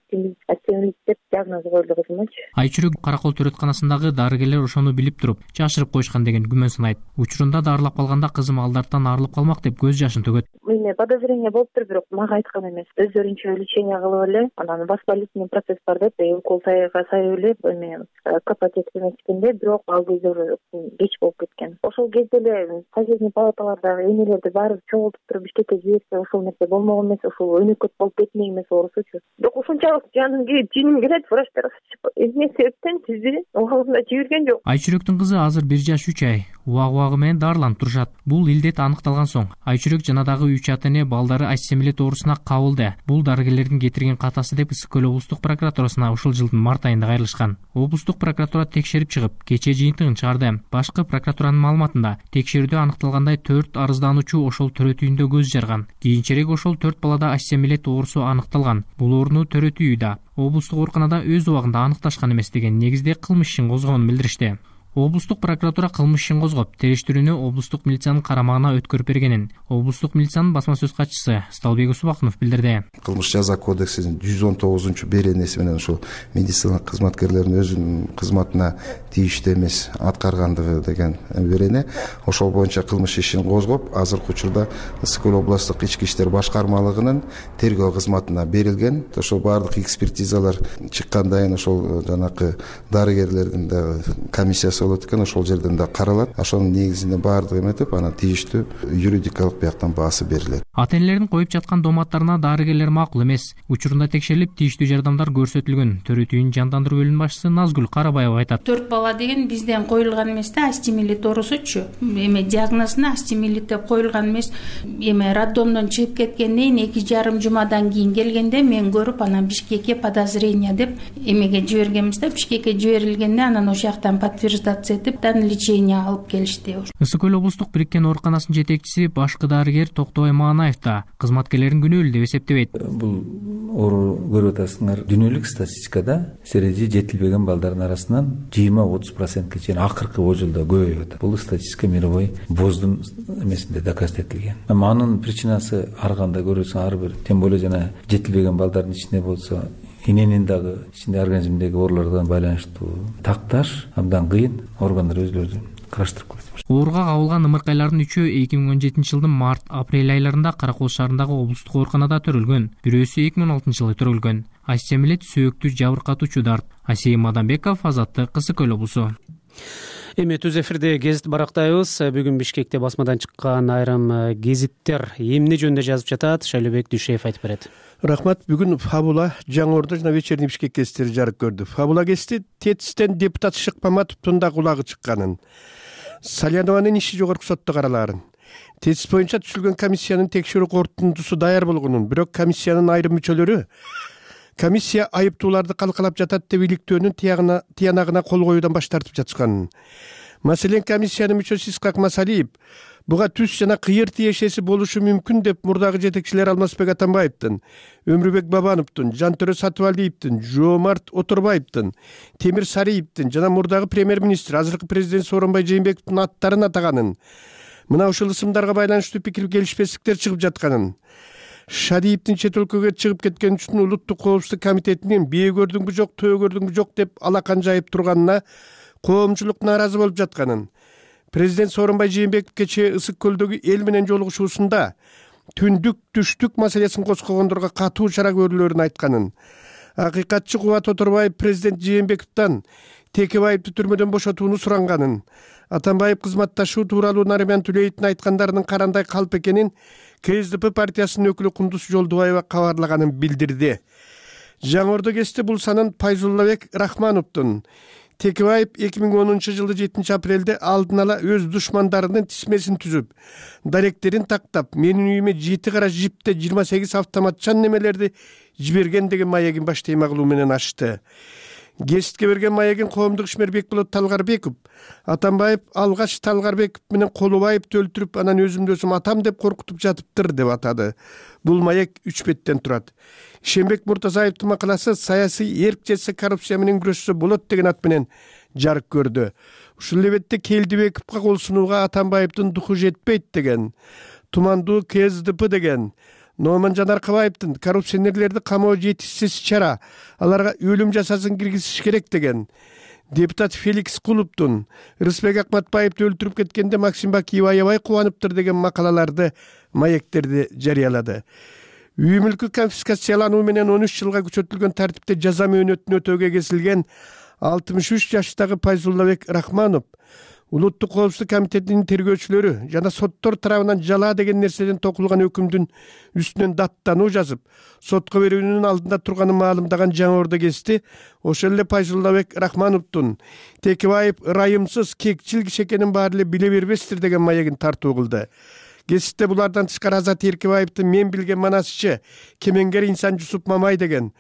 асимилит деп диагноз коюлду кызымачы. Айчүрөк Каракол төрөтканасындагы дарыгерлер ошону билип туруп, жашырып коюшкан деген күмөн санайт. Учурунда дарылап калганда кызым алдардан арылып калмак деп көз жашын төгөт. Менде подозрение болуптур, бирок мага айткан эмес. Өздөрүнчө лечение кылып эле, анан воспалительный процесс бар деп, укол сайга сайып эле эме капатет эмескенде, бирок ал кезде уже кеч болуп кеткен. Ошол кезде эле соседний палаталардагы энелерди баары чогултуп туруп Бишкекке жиберсе, ошол нерсе болмогон эмес, ошол өнөкөт болуп кетмек эмес оорусучу. Бирок ушунчалык жаным кийип жиним келет, врачтар эмне себептен сизди убагында жиберген жок. Айчүрөктүн кызы азыр бир жаш үч ай убак убагы менен дарыланып турушат. Бул илдет аныкталган соң Айчүрөк жана дагы үч ата-эне балдары асимилит оорусуна кабылды. Бул дарыгерлердин кетирген катасы деп Ысык көл облустук прокуратурасына ушул жылдын март айында кайрылышкан. Облустук прокуратура текшерип чыгып, кечээ жыйынтыгын чыгарды. Башкы прокуратуранын маалыматында текшерүүдө аныкталгандай төрт арыздануучу ошол төрөтүүндө көз жарган. Кийинчерээк ошол төрт балада асимилит оорусу аныкталган. Бул ооруну төрөтүү да облустук ооруканада өз убагында аныкташкан эмес деген негизде кылмыш ишин козгогонун билдиришти. Облустук прокуратура кылмыш ишин козгоп, териштирүүнү облустук милициянын карамагына өткөрүп бергенин облустук милициянын басма сөз катчысы Сталбек Усубакунов билдирди. Кылмыш жаза кодексинин жүз он тогузунчу беренеси менен ушул медицина кызматкерлеринин өзүнүн кызматына тийиштүү эмес аткаргандыгы деген берене. Ошол боюнча кылмыш ишин козгоп, азыркы учурда Ысык көл областык ички иштер башкармалыгынын тергөө кызматына берилген. Ошол баардык экспертизалар чыккандан кийин ошол жанакы дарыгерлердин дагы комиссиясы болот экен, ошол жерден да каралат. Ошонун негизинде баардыгы эметип, анан тийиштүү юридикалык бияктан баасы берилет. Ата-энелердин коюп жаткан доматтарына дарыгерлер макул эмес. Учурунда текшерилип, тийиштүү жардамдар көрсөтүлгөн. Төрөтүүнүн жандандыруу бөлүмүнүн башчысы Назгүл Карабаева айтат. төрт бала деген бизден коюлган эмес да, асимилит оорусучу. Эме диагнозуна асимилит деп коюлган эмес. Эме роддомдон чыгып кеткенден эки жарым жумадан кийин келгенде мен көрүп, анан Бишкекке подозрение деп эмеге жибергенбиз да. Бишкекке жиберилгенде анан ошол жактан подтверждать консультация этип дан лечение алып келишти. Ысык көл облустук бириккен ооруканасынын жетекчиси башкы дарыгер Токтобай Манаев да кызматкерлерин күнөөлүү деп эсептебейт. Бул оору көрүп атасыңар, дүйнөлүк статистикада сережи жетилбеген балдардын арасынан жыйырма отуз процентке чейин акыркы бул жылда көбөйүп атат. Бул статистика мировой боздун эмесинде доказ этилген. Анын причинасы ар кандай көрөсүң, ар бир, тем более жана жетилбеген балдардын ичинде болсо эненин дагы ичинде организмдеги оорулардан байланыштуу такташ абдан кыйын, органдар өзүлөрү караштырып коет. Ооруга кабылган ымыркайлардын үчөө эки миң он жетинчи жылдын март апрель айларында Кара Кол шаарындагы облустук ооруканада төрөлгөн. Бирөөсү эки миң он алтынчы жылы төрөлгөн. Астемилет сөөктү жабыркатуучу дарт. Асей Мадамбеков, Азаттык, Ысык көл облусу. Эми түз эфирде гезит барактайбыз. Бүгүн Бишкекте басмадан чыккан айрым гезиттер эмне жөнүндө жазып жатат? Шайлообек Дүйшеев айтып берет. Рахмат. Бүгүн Фабула Жаңы Ордо жана Вечерний Бишкек гезиттери жарык көрдү. Фабула гезити Тетистен депутат Шыкмаматовдун да кулагы чыкканын, Салянованын иши жогорку сотто каралаарын, Тетис боюнча түзүлгөн комиссиянын текшерүү корутундусу даяр болгонун, бирок комиссиянын айрым мүчөлөрү комиссия айыптууларды калкалап жатат деп иликтөөнүн тиянагына кол коюудан баш тартып жатышканын. Маселен, комиссиянын мүчөсү Исхак Масалиев буга түз жана кыйыр тиешеси болушу мүмкүн деп мурдагы жетекчилер Алмазбек Атамбаевдин, Өмүрбек Бабановдун, Жантөрө Сатыбалиевдин, Жоомарт Оторбаевдин, Темир Сариевдин жана мурдагы премьер-министр, азыркы президент Сооронбай Жээнбековдун аттарын атаганын, мына ушул ысымдарга байланыштуу пикир келишпестиктер чыгып жатканын, Шадиевдин чет өлкөгө чыгып кеткен үчүн Улуттук коопсуздук комитетинин бие көрдүңбү жок, төө көрдүңбү жок деп алакан жайып турганына коомчулук нааразы болуп жатканын, президент Сооронбай Жээнбеков кечээ Ысык көлдөгү эл менен жолугушуусунда түндүк түштүк маселесин козгогондорго катуу чара көрүлөөрүн айтканын, акыйкатчы Кубат Оторбаев президент Жээнбековдон Текебаевди түрмөдөн бошотууну суранганын, Атамбаев кызматташуу тууралуу Нариман Түлеевдин айткандарынын карандай калп экенин КСДП партиясынын өкүлү Кундуз Жолдубаева кабарлаганын билдирди. Жаңы Ордо гезити бул санын Пайзуллабек Рахмановдун, Текебаев эки миң онунчу жылы жетинчи апрелде алдын ала өз душмандарынын тизмесин түзүп, даректерин тактап, менин үйүмө жети кара жипте жыйырма сегиз автоматчан немелерди жиберген деген маегин баш теймагылуу менен ачты. Гезитке берген маегин коомдук ишмер Бекболот Талгарбеков, Атамбаев алгач Талгарбеков менен Колубаевди өлтүрүп, анан өзүмдү өзүм атам деп коркутуп жатыптыр деп атады. Бул маек үч беттен турат. Ишенбек Муртазаевдин макаласы саясий эрк жетсе коррупция менен күрөшсө болот деген ат менен жарык көрдү. Ушул эле бетте Келдибековго кол сунууга Атамбаевдин духу жетпейт деген, тумандуу КСДП деген, Номан Жанаркабаевдин коррупционерлерди камоо жетишсиз чара, аларга өлүм жазасын киргизиш керек деген, депутат Феликс Кулуптун Рысбек Акматбаевди өлтүрүп кеткенде Максим Бакиев аябай кубанıптыр деген макалаларды, маектерди жарыялады. Үй мүлкү конфискациялануу менен он үч жылга күчөтүлгөн тартипте жаза мөөнөтүн өтөөгө кесилген алтымыш үч жаштагы Пайзуллабек Рахманов Улуттук коопсуздук комитетинин тергөөчүлөрү жана соттор тарабынан жала деген нерседен токулган өкүмдүн үстүнөн даттануу жазып, сотко берүүнүн алдында турганын маалымдаган Жаңы Ордо гезити ошол эле Пайзуллабек Рахмановдун Текебаев ырайымсыз, кекчил киши экенин баары эле биле бербестир деген маегин тартуу кылды. Гезитте булардан тышкары Азат Эркебаевдин мен билген манасычы кемеңгер инсан Жусуп Мамай деген,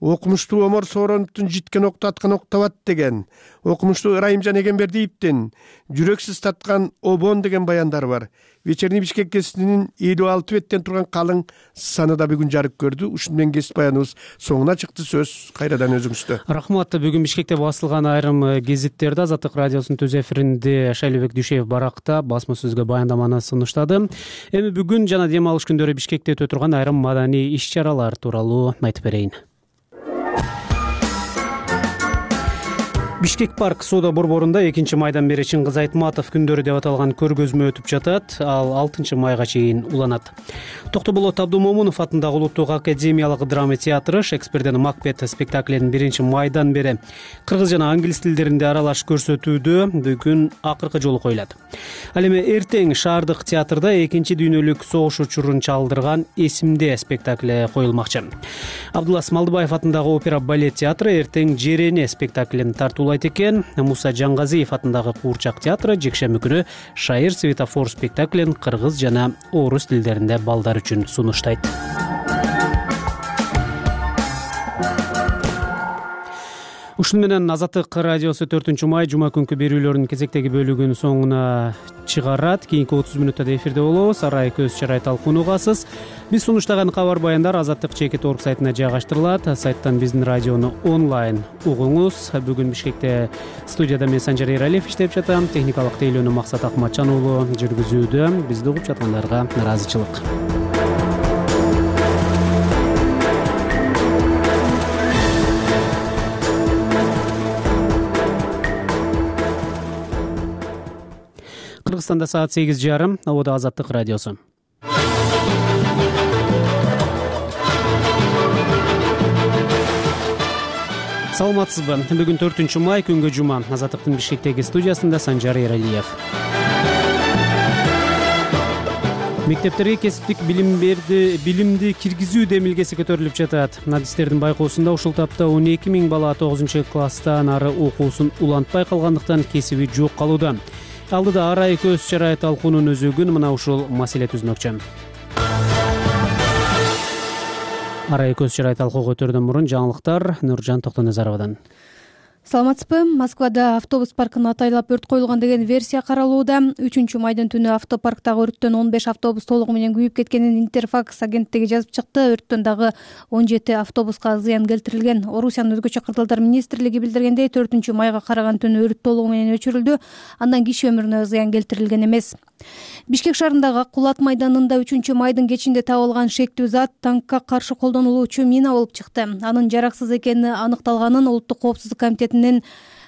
окумуштуу Омор Соороновдун житкен окту аткан октабат деген, окумуштуу Ырайымжан Эгембердиевдин жүрөксүз таткан обон деген баяндары бар. Вечерний Бишкек гезитинин элүү алты беттен турган калың саны да бүгүн жарык көрдү. Ушуну менен гезит баяныбыз соңуна чыкты. Сөз кайрадан өзүңүздө. Рахмат. Бүгүн Бишкекте басылган айрым гезиттерди Азаттык радиосунун түз эфиринде Шайлообек Дүйшеев баракта басма сөзгө баяндаманы сунуштады. Эми бүгүн жана дем алыш күндөрү Бишкекте өтө турган айрым маданий иш-чаралар тууралуу айтып берейин. Бишкек парк соода борборунда экинчи майдан бери Чыңгыз Айтматов күндөрү деп аталган көргөзмө өтүп жатат. Ал алтынчы майга чейин уланат. Токтоболот Абдумомунов атындагы Улуттук академиялык драма театры Шекспирден Макбет спектаклин биринчи майдан бери кыргыз жана англис тилдеринде аралаш көрсөтүүдө бүгүн акыркы жолу коюлат. Ал эми эртең шаардык театрда экинчи дүйнөлүк согуш учурун чалдырган Эсимде спектакли коюлмакчы. Абдулас Малдыбаев атындагы опера балет театры эртең Жерене спектаклин тартуулайт экен. Муса Жаңгазиев атындагы Куурчак театры жекшемби күнү Шайыр Светофор спектаклин кыргыз жана орус тилдеринде балдар үчүн сунуштайт. Ушун менен Азаттык радиосу төртүнчү май жума күнкү берүүлөрүнүн кезектеги бөлүгүнүн соңуна чыгарат. Кийинки отуз мүнөттө эфирде болобуз. Арай көз чарай талкуугасыз. Биз сунуштаган кабар баяндар азаттык чекит точка орг сайтына жайгаштырылат. Сайттан биздин радиону онлайн угуңуз. Бүгүн Бишкекте студияда мен Санжар Эралиев иштеп жатам. Техникалык тейлөөнү Максат Акматжан уулу жүргүзүүдө. Бизди угуп жаткандарга ыраазычылык. Кыргызстанда саат сегиз жарым. Абода Азаттык радиосу. Саламатсызбы? Бүгүн төртүнчү май күнгө жума. Азаттыктын Бишкектеги студиясында Санжар Эралиев. Мектептерге кесиптик билим берди, билимди киргизүү демилгеси көтөрүлүп жатат. Адистердин байкоосунда ушул тапта он эки миң бала тогузунчу класстан ары окуусун улантпай калгандыктан кесиби жок калууда. Алдыда арай көз чарай талкуунун өзөгүн мына ушул маселе түзмөкчү. Арай көз чарай талкуу өтөрдөн мурун жаңылыктар Нуржан Токтоназаровадан. Саламатсызбы? Москвада автобус паркын атайлап өрт коюлган деген версия каралууда. үчүнчү майдын түнү автопарктагы өрттөн он беш автобус толугу менен күйүп кеткенин Интерфакс агенттиги жазып чыкты. Өрттөн дагы он жети автобуска зыян келтирилген. Орусиянын өзгөчө кырдаалдар министрлиги билдиргендей, төртүнчү майга караган түнү өрт толугу менен өчүрүлдү. Андан киши өмүрүнө зыян келтирилген эмес. Бишкек шаарындагы Ак Кулат майданында үчүнчү майдын кечинде табылган шектүү зат танкка каршы колдонулуучу мина болуп чыкты. Анын жараксыз экени аныкталганын Улуттук коопсуздук комитетинин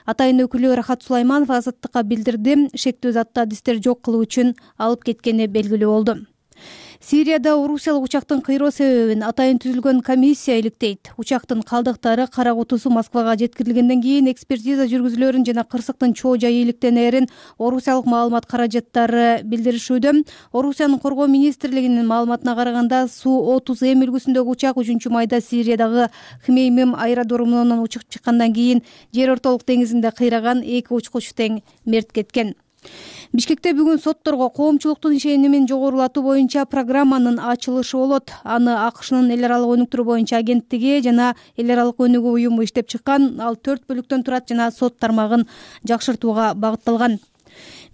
атайын өкүлү Рахат Сулайманов Азаттыкка билдирди. Шектүү затты адистер жок кылуу үчүн алып кеткени белгилүү болду. Сирияда орусиялык учактын кыйроо себебин атайын түзүлгөн комиссия иликтейт. Учактын калдыктары кара кутусу Москвага жеткирилгенден кийин экспертиза жүргүзүлөрүн жана кырсыктын чоо жайы иликтенерин орусиялык маалымат каражаттары билдиришүүдө. Орусиянын коргоо министрлигинин маалыматына караганда, Су отуз эм үлгүсүндөгү учак үчүнчү майда Сириядагы Хмеймим аэродромунан учуп чыккандан кийин жер ортолук деңизинде кыйраган, эки учкуч тең мерт кеткен. Бишкекте бүгүн сотторго коомчулуктун ишенимин жогорулатуу боюнча программанын ачылышы болот. Аны АКШнын эл аралык өнүктүрүү боюнча агенттиги жана эл аралык өнүгүү уюму иштеп чыккан. Ал төрт бөлүктөн турат жана сот тармагын жакшыртууга багытталган.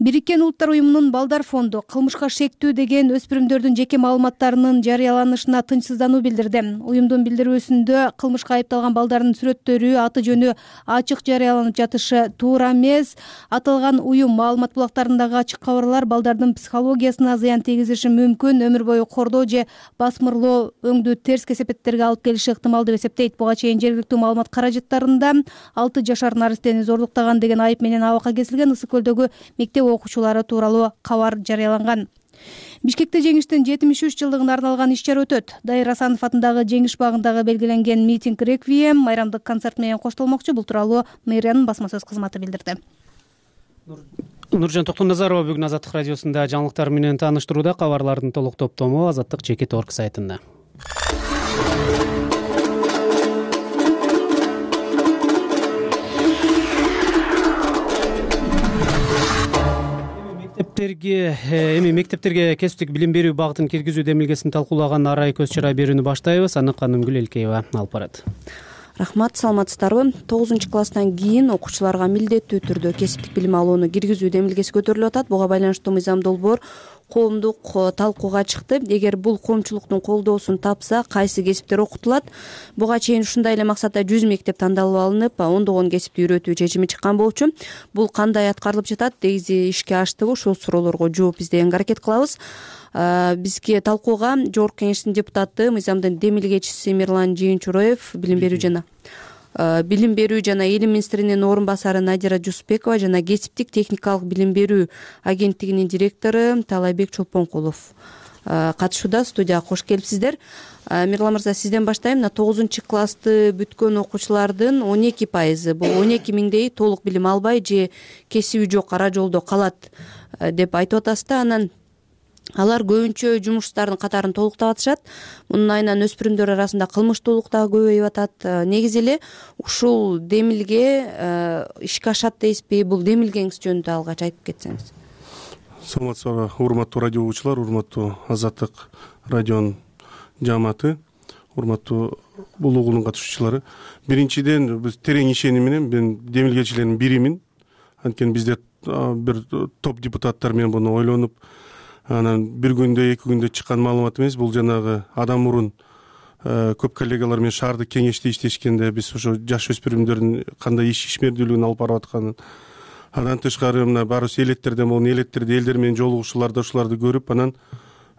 Бириккен Улуттар уюмунун Балдар фонду кылмышка шектүү деген өспүрүмдөрдүн жеке маалыматтарынын жарыяланышына тынчсыздануу билдирди. Уюмдун билдирүүсүндө кылмышка айыпталган балдардын сүрөттөрү, аты жөнү ачык жарыяланып жатышы туура эмес. Аталган уюм маалымат булактарындагы ачык кабарлар балдардын психологиясына зыян тийгизиши мүмкүн, өмүр бою кордоо же басмырлоо өңдү терс кесепеттерге алып келиши ыктымал деп эсептейт. Буга чейин жергиликтүү маалымат каражаттарында алты жашар наристени зордуктаган деген айып менен абакка кесилген Ысык көлдөгү мектеп окуучулары тууралуу кабар жарыяланган. Бишкекте жеңиштин жетимиш үч жылдыгына арналган иш чара өтөт. Дайыр Асанов атындагы Жеңиш багындагы белгиленген митинг реквием майрамдык концерт менен коштолмокчу. Бул тууралуу мэриянын басма сөз кызматы билдирди. Нуржан Токтоназарова бүгүн Азаттык радиосунда жаңылыктар менен тааныштырууда. Кабарлардын толук топтому азаттык чекит точка орг сайтында. Эми мектептерге кесиптик билим берүү багытын киргизүү демилгесин талкуулаган арай көз чарай берүүнү баштайбыз. Аны Канымгүл Элкеева алып барат. Рахмат, саламатсыздарбы? тогузунчу класстан кийин окуучуларга милдеттүү түрдө кесиптик билим алууну киргизүү демилгеси көтөрүлүп атат. Буга байланыштуу мыйзам долбоор коомдук талкууга чыкты. Эгер бул коомчулуктун колдоосун тапса, кайсы кесиптер окутулат? Буга чейин ушундай эле максатта жүз мектеп тандалып алынып, ондогон кесипти үйрөтүү чечими чыккан болчу. Бул кандай аткарылып жатат? Негизи ишке аштыбы? Ушул суроолорго жооп издегенге аракет кылабыз. Бизге талкууга Жогорку Кеңештин депутаты, мыйзамдын демилгечиси Мирлан Жыйынчуроев, билим берүү жана билим берүү жана элим министринин орун басары Надира Жусупбекова жана кесиптик техникалык билим берүү агенттигинин директору Талайбек Чолпонкулов катышууда. Студияга кош келипсиздер. Мирлан мырза, сизден баштайм. Мына тогузунчу классты бүткөн окуучулардын он эки пайызы, бул он эки миңдей толук билим албай же кесиби жок ара жолдо калат деп айтып атасыз да. Анан алар көбүнчө жумуштардын катарын толуктап атышат. Мунун айынан өспүрүмдөр арасында кылмыштуулук дагы көбөйүп атат. Негизи эле ушул демилге ишке ашат дейсизби? Бул демилгеңиз жөнүндө алгач айтып кетсеңиз. Саламатсызбы, урматтуу радио угуучулар, урматтуу Азаттык радионун жааматы. урматтуу бул угулдун катышуучулары. Биринчиден биз терең ишеним менен мен демилгечилердин биримин. Анткени бизде бир топ депутаттар менен буну ойлонуп, анан бир күндө эки күндө чыккан маалымат эмес. Бул жанагы адам мурун көп коллегалар менен шаардык кеңеште иштешкенде биз ошо жаш өспүрүмдөрдүн кандай иш ишмердүүлүгүн алып барып атканын, андан тышкары мына барыбыз элеттерден болгон элеттерде элдер менен жолугушууларда ушуларды көрүп, анан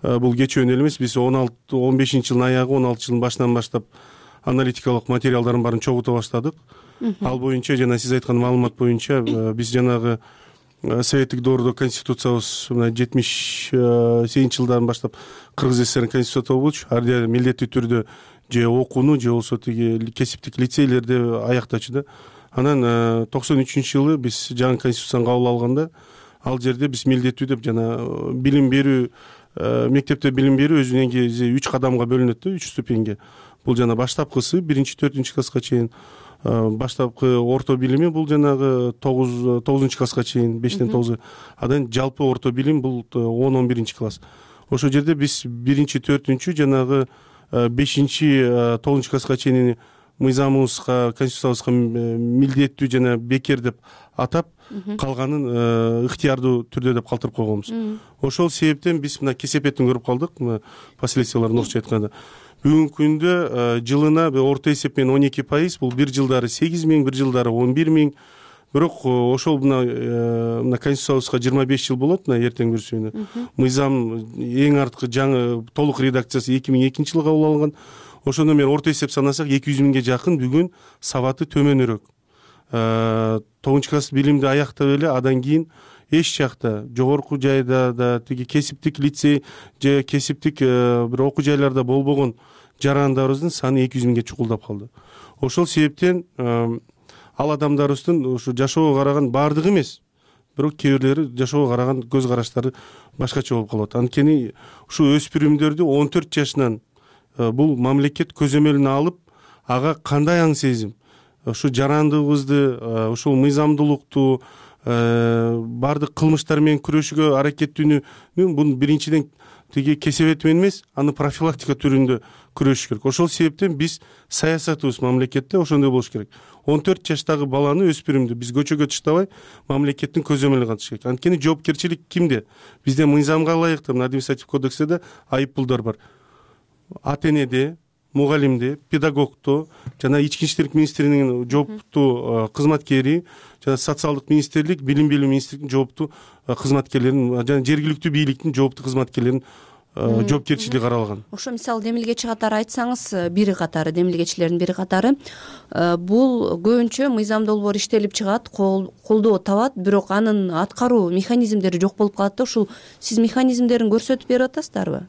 бул кечүүнү эле эмес, биз он алты он бешинчи жылдын аягы, он алтынчы жылдын башынан баштап аналитикалык материалдардын баарын чогулта баштадык. Ал боюнча жана сиз айткан маалымат боюнча биз жанагы советтик доордо конституциябыз мына жетимиш сегизинчи жылдан баштап Кыргыз ССРдин конституциясы болчу. Ар жерде милдеттүү түрдө же окууну же болбосо тиги кесиптик лицейлерди аяктачу да. Анан токсон үчүнчү жылы биз жаңы конституцияны кабыл алганда ал жерде биз милдеттүү деп жана билим берүү, мектепте билим берүү өзүнөн кийин үч кадамга бөлүнөт да, үч ступеньге. Бул жана баштапкысы биринчи төртүнчү класска чейин, баштапкы орто билими бул жанагы тогуз тогузунчу класска чейин, бештен тогузга. Андан жалпы орто билим бул он он биринчи класс. Ошол жерде биз биринчи төртүнчү жанагы бешинчи тогузунчу класска чейин мыйзамыбызга, конституциябызга милдеттүү жана бекер деп атап, калганын ыктыярдуу түрдө деп калтырып койгонбуз. Ошол себептен биз мына кесепетин көрүп калдык, последствияларын орусча айтканда. Бүгүнкү күндө жылына орто эсеп менен он эки пайыз, бул бир жылдары сегиз миң, бир жылдары он бир миң. Бирок ошол мына конституциябызга жыйырма беш жыл болот, мына эртең бүрсүүнө. Мыйзам эң арткы жаңы толук редакциясы эки миң экинчи жылы кабыл алынган. Ошондо мен орто эсеп санасак эки жүз миңге жакын бүгүн сабаты төмөнүрөөк. тогузунчу класс билимди аяктап эле андан кийин эч жакта жогорку жайда да тиги кесиптик лицей же кесиптик бир окуу жайларда болбогон жарандарыбыздын саны эки жүз миңге чукулдап калды. Ошол себептен ал адамдарыбыздын ушу жашоого караган баардыгы эмес, бирок кээ бирлери жашоого караган көз караштары башкача болуп калат. Анткени ушу өспүрүмдөрдү он төрт жашынан бул мамлекет көзөмөлүнө алып, ага кандай аң сезим, ушу жарандыгыбызды, ушул мыйзамдуулукту, баардык кылмыштар менен күрөшүүгө аракеттүүнү бунун биринчиден тиги кесепети менен эмес, аны профилактика түрүндө күрөшүш керек. Ошол себептен биз саясатыбыз мамлекетте ошондой болуш керек. он төрт жаштагы баланы, өспүрүмдү биз көчөгө таштабай, мамлекеттин көзөмөлүнө катыш керек. Анткени жоопкерчилик кимде? Бизде мыйзамга ылайыктуу административдик кодексте да айыппулдар бар. Ата энеде, мугалимде, педагогто жана ички иштер министрлигинин жооптуу кызматкери жана социалдык министрлик, билим берүү министрлигинин жооптуу кызматкерлерин жана жергиликтүү бийликтин жооптуу кызматкерлеринин жоопкерчилиги каралган. Ошо мисалы демилгечи катары айтсаңыз, бири катары демилгечилердин бири катары бул көбүнчө мыйзам долбоор иштелип чыгат, колдоо табат, бирок анын аткаруу механизмдери жок болуп калат да. Ушул сиз механизмдерин көрсөтүп берип атасыздарбы?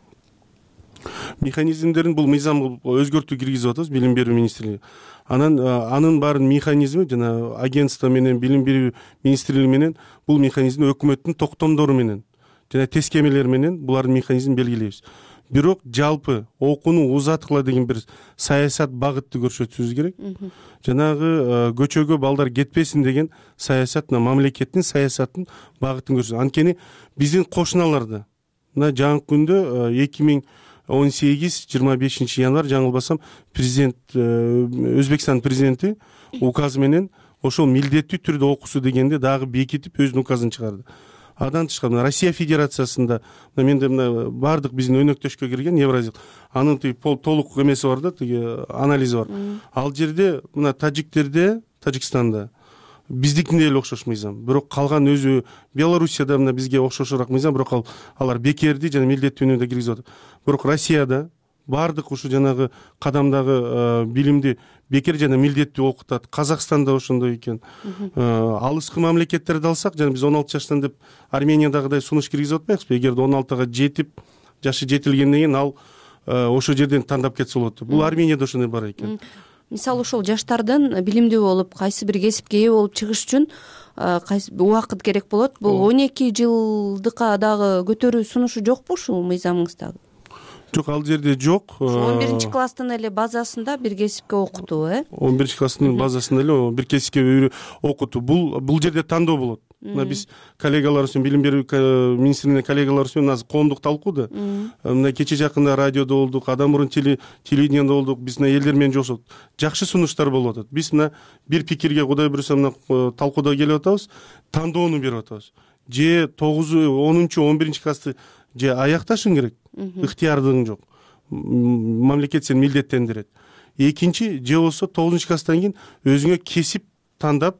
Механизмдерин бул мыйзам өзгөртүү киргизип атабыз, билим берүү министрлиги. Анан анын баарын механизми жана агентство менен, билим берүү министрлиги менен бул механизмди өкмөттүн токтомдору менен жана тескемелер менен булардын механизмин белгилейбиз. Бирок жалпы окууну узаткыла деген бир саясат багытты көрсөтүшүбүз керек. Жанагы көчөгө балдар кетпесин деген саясат мамлекеттин саясатын багытын көрсөтөт. Анткени биздин кошуналарда мына жаңы күндө эки миң он сегиз жыйырма бешинчи январь жаңылбасам президент, Өзбекстан президенти указы менен ошол милдеттүү түрдө окуусу дегенде дагы бекитип өзүнүн указын чыгарды. Андан тышкары Россия Федерациясында менде мына баардык биздин өнөктөшкө кирген Евразия, анын тиги толук эмеси бар да, тиги анализи бар. Ал жерде мына тажиктерде, Тажикстанда биздикине эле окшош мыйзам. Бирок калган өзү Белоруссияда мына бизге окшошураак мыйзам, бирок алар бекерди жана милдеттүүнү да киргизип атат. Бирок Россияда баардык ушу жанагы кадамдагы билимди бекер жана милдеттүү окутат. Казакстанда ошондой экен. Алыскы мамлекеттерди алсак, жана биз он алты жаштан деп Армениядагыдай сунуш киргизип атпайбызбы? Эгерде он алтыга жетип, жашы жетилгенден кийин ал ошо жерден тандап кетсе болот. Бул Арменияда ошондой бар экен. Мисалы ошол жаштардын билимдүү болуп, кайсы бир кесипке ээ болуп чыгыш үчүн кайсы убакыт керек болот. Бул он эки жылдыкка дагы көтөрүү сунушу жокпу ушул мыйзамыңыздагы? Жок, ал жерде жок. он биринчи класстын эле базасында бир кесипке окутуу, э? он биринчи класстын базасында эле бир кесипке окутуу. Бул бул жерде тандоо болот. мына биз коллегаларыбыз менен билим берүү министрлигинин коллегаларыбыз менен азыр коомдук талкууда мына кечээ жакында радиодо болдук, адан мурун телевидениеде болдук, биз мына элдер менен жолугушуп жакшы сунуштар болуп атат. Биз мына бир пикирге кудай буюрса мына талкууда келип атабыз, тандоону берип атабыз. Же тогуз онунчу он биринчи классты же аякташың керек, ыктыярдыгың жок, мамлекет сени милдеттендирет. Экинчи, же болсо тогузунчу класстан кийин өзүңө кесип тандап,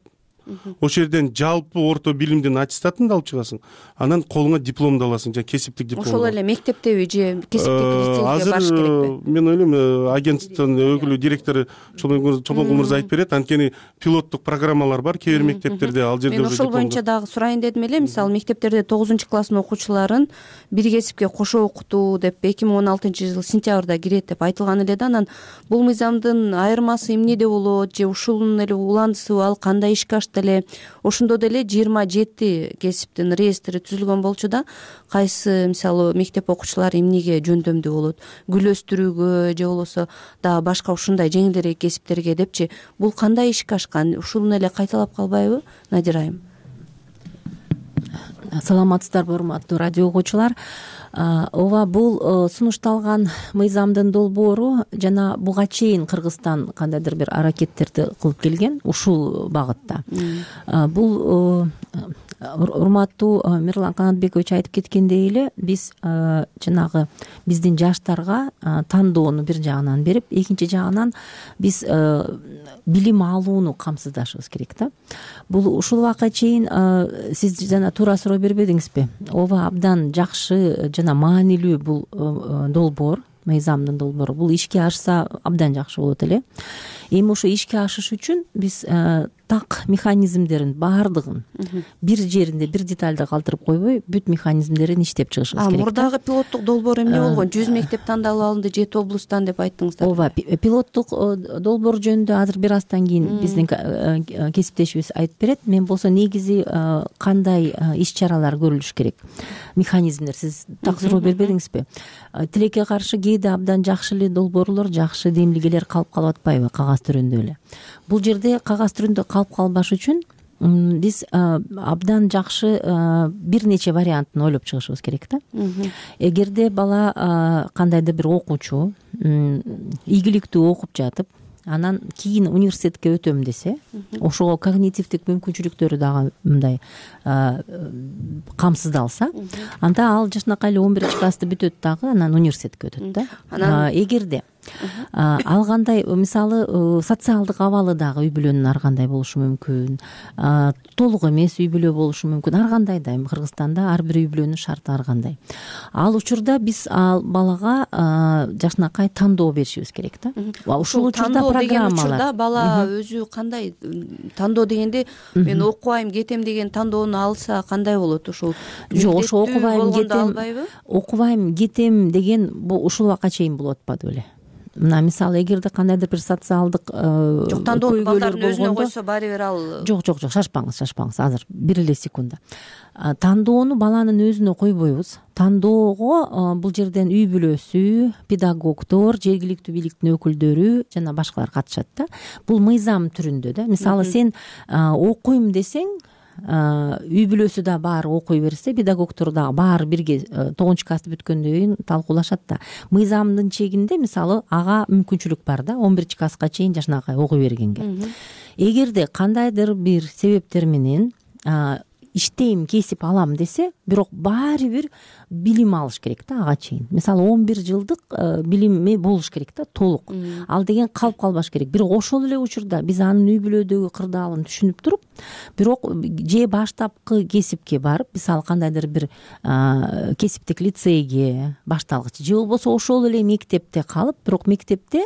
ошол жерден жалпы орто билимдин аттестатыңды алып чыгасың, анан колуңа дипломду аласың, жана кесиптик диплом. Ошол эле мектептеби же кесиптик лицейге барыш керекпи? Азыр мен ойлойм, агенттиктин өкүлү, директору Чолпонкул мырза айтып берет, анткени пилоттук программалар бар кээ бир мектептерде, ал жерде. Мен ошол боюнча дагы сурайын дедим эле, мисалы мектептерде тогузунчу класстын окуучуларын бир кесипке кошо окутуу деп эки миң он алтынчы жыл сентябрда кирет деп айтылган эле да. Анан бул мыйзамдын айырмасы эмнеде болот, же ушунун эле уландысыбы, ал кандай ишке ашты эле? Ошондо деле жыйырма жети кесиптин реестри түзүлгөн болчу да, кайсы мисалы мектеп окуучулары эмнеге жөндөмдүү болот, гүл өстүрүүгө же болбосо дагы башка ушундай жеңилдерээк кесиптерге депчи. Бул кандай ишке ашкан? Ушуну эле кайталап калбайбы, Надир айым? Саламатсыздарбы, урматтуу радио угуучулар. Ооба, бул сунушталган мыйзамдын долбоору жана буга чейин Кыргызстан кандайдыр бир аракеттерди кылып келген ушул багытта. Бул урматтуу Мирлан Канатбекович айтып кеткендей эле, биз жанагы биздин жаштарга тандоону бир жагынан берип, экинчи жагынан биз билим алууну камсыздашыбыз керек да. Бул ушул убакка чейин сиз жана туура суроо бербедиңизби? Ооба, абдан жакшы жана маанилүү бул долбоор, мыйзамдын долбоору. Бул ишке ашса абдан жакшы болот эле. Эми ошо ишке ашыш үчүн биз так механизмдерин баардыгын бир жеринде, бир детальды калтырып койбой, бүт механизмдерин иштеп чыгышыбыз керек. Мурдагы пилоттук долбоор эмне болгон? жүз мектеп тандалып алынды, жети облустан деп айттыңыздар. Ооба, пилоттук долбоор жөнүндө азыр бир аздан кийин биздин кесиптешибиз айтып берет. Мен болсо негизи кандай иш-чаралар көрүлүш керек? Механизмдер, сиз так суроо бербедиңизби? Тилекке каршы кээде абдан жакшы эле долбоорлор, жакшы демилгелер калып калып атпайбы кагаз түрүндө эле? Бул жерде кагаз түрүндө калып калбаш үчүн биз абдан жакшы бир нече вариантын ойлоп чыгышыбыз керек да. Эгерде бала кандайдыр бир окуучу ийгиликтүү окуп жатып, анан кийин университетке өтөм десе, ошого когнитивдик мүмкүнчүлүктөрү дагы мындай камсыздалса, анда ал жашынакай эле он биринчи классты бүтөт дагы, анан университетке өтөт да. Эгерде ал кандай, мисалы социалдык абалы дагы үй бүлөнүн ар кандай болушу мүмкүн, толук эмес үй бүлө болушу мүмкүн, ар кандай да. Эми Кыргызстанда ар бир үй бүлөнүн шарты ар кандай. Ал учурда биз ал балага жашынакай тандоо беришибиз керек да. Ушул учурда программалар, бала өзү кандай тандоо дегенде, мен окубайм кетем деген тандоону алса кандай болот? Ушул жок, ошо окубайм кетем, окубайм кетем деген бул ушул убакка чейин болуп атпады беле. Мына мисалы, эгерде кандайдыр бир социалдык жок тандоону балдардын өзүнө койсо баары бир ал жок жок жок шашпаңыз, шашпаңыз, азыр бир эле секунда. Тандоону баланын өзүнө койбойбуз. Тандоого бул жерден үй бүлөсү, педагогдор, жергиликтүү бийликтин өкүлдөрү жана башкалар катышат да. Бул мыйзам түрүндө да. Мисалы, сен окуйм десең, үй бүлөсү да баары окуй берсе, педагогдор дагы баары бирге тогузунчу классты бүткөндөн кийин талкуулашат да. Мыйзамдын чегинде мисалы ага мүмкүнчүлүк бар да, он биринчи класска чейин жашынакай окуй бергенге. Эгерде кандайдыр бир себептер менен иштейм, кесип алам десе, бирок баары бир билим алыш керек да ага чейин. Мисалы, он бир жылдык билими болуш керек да, толук. Ал деген калып калбаш керек. Бирок ошол эле учурда биз анын үй бүлөдөгү кырдаалын түшүнүп туруп, бирок же баштапкы кесипке барып, мисалы кандайдыр бир кесиптик лицейге башталгыч, же болбосо ошол эле мектепте калып, бирок мектепте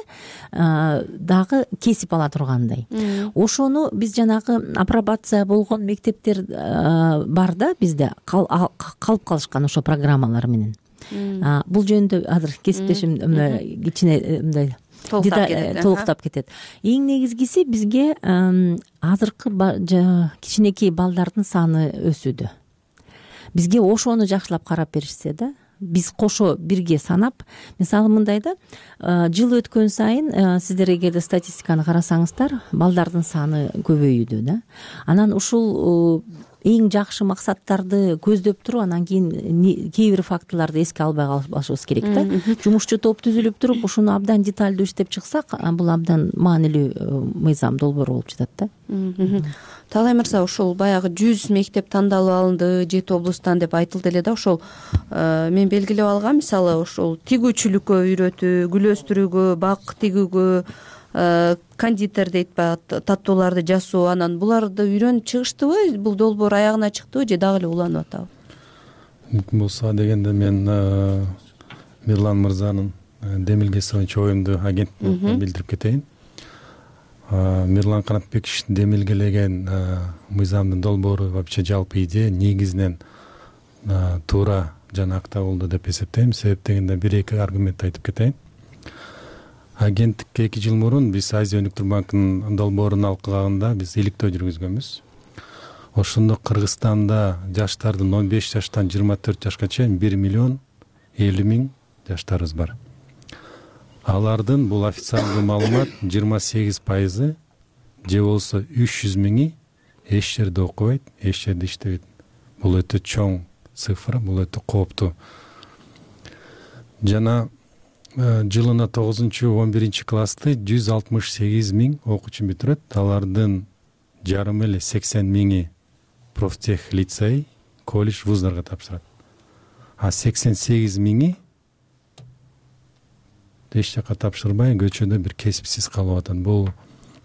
дагы кесип ала тургандай. Ошону биз жанагы апробация болгон мектептер бар да бизде, калып калышкан ошо программалар менен. Бул жөнүндө азыр кесиптешим кичине мындай толуктап кетет. Эң негизгиси бизге азыркы кичинекей балдардын саны өсүүдө. Бизге ошону жакшылап карап беришсе да, биз кошо бирге санап, мисалы мындай да, жыл өткөн сайын сиздер эгерде статистиканы карасаңыздар, балдардын саны көбөйүүдө да. Анан ушул эң жакшы максаттарды көздөп туруп анан кийин кээ бир фактыларды эске албай калбашыбыз керек да. Жумушчу топ түзүлүп туруп ушуну абдан деталдуу иштеп чыксак, бул абдан маанилүү мыйзам долбоор болуп жатат да. Таалай мырза, ошол баягы жүз мектеп тандалып алынды жети облустан деп айтылды эле да. Ошол мен белгилеп алгам, мисалы ошол тигүүчүлүккө үйрөтүү, гүл өстүрүүгө, бак тигүүгө, кондитер дейт баягы таттууларды жасоо, анан буларды үйрөнүп чыгыштыбы? Бул долбоор аягына чыктыбы же дагы эле уланып атабы? Мүмкүн болсо дегенде мен Мирлан мырзанын демилгеси боюнча оюмду агенттикке билдирип кетейин. Мирлан Канатбековичтин демилгелеген мыйзамдын долбоору вообще жалпы идея негизинен туура жана акта болду деп эсептейм. Себеп дегенде бир эки аргумент айтып кетейин. Агенттикке эки жыл мурун биз Азия өнүктүрүү банкынын долбоорун алкыганда биз иликтөө жүргүзгөнбүз. Ошондо Кыргызстанда жаштардын он беш жаштан жыйырма төрт жашка чейин бир миллион элүү миң жаштарыбыз бар. Алардын бул официалдуу маалымат жыйырма сегиз пайызы же болсо үч жүз миңи эч жерде окубайт, эч жерде иштебейт. Бул өтө чоң цифра, бул өтө кооптуу. Жана жылына тогузунчу он биринчи классты жүз алтымыш сегиз миң окуучу бүтүрөт. Алардын жарымы эле сексен миңи профтех лицей, колледж, вуздарга тапшырат. А сексен сегиз миңи эч жака тапшырбай көчөдө бир кесипсиз калып атат. Бул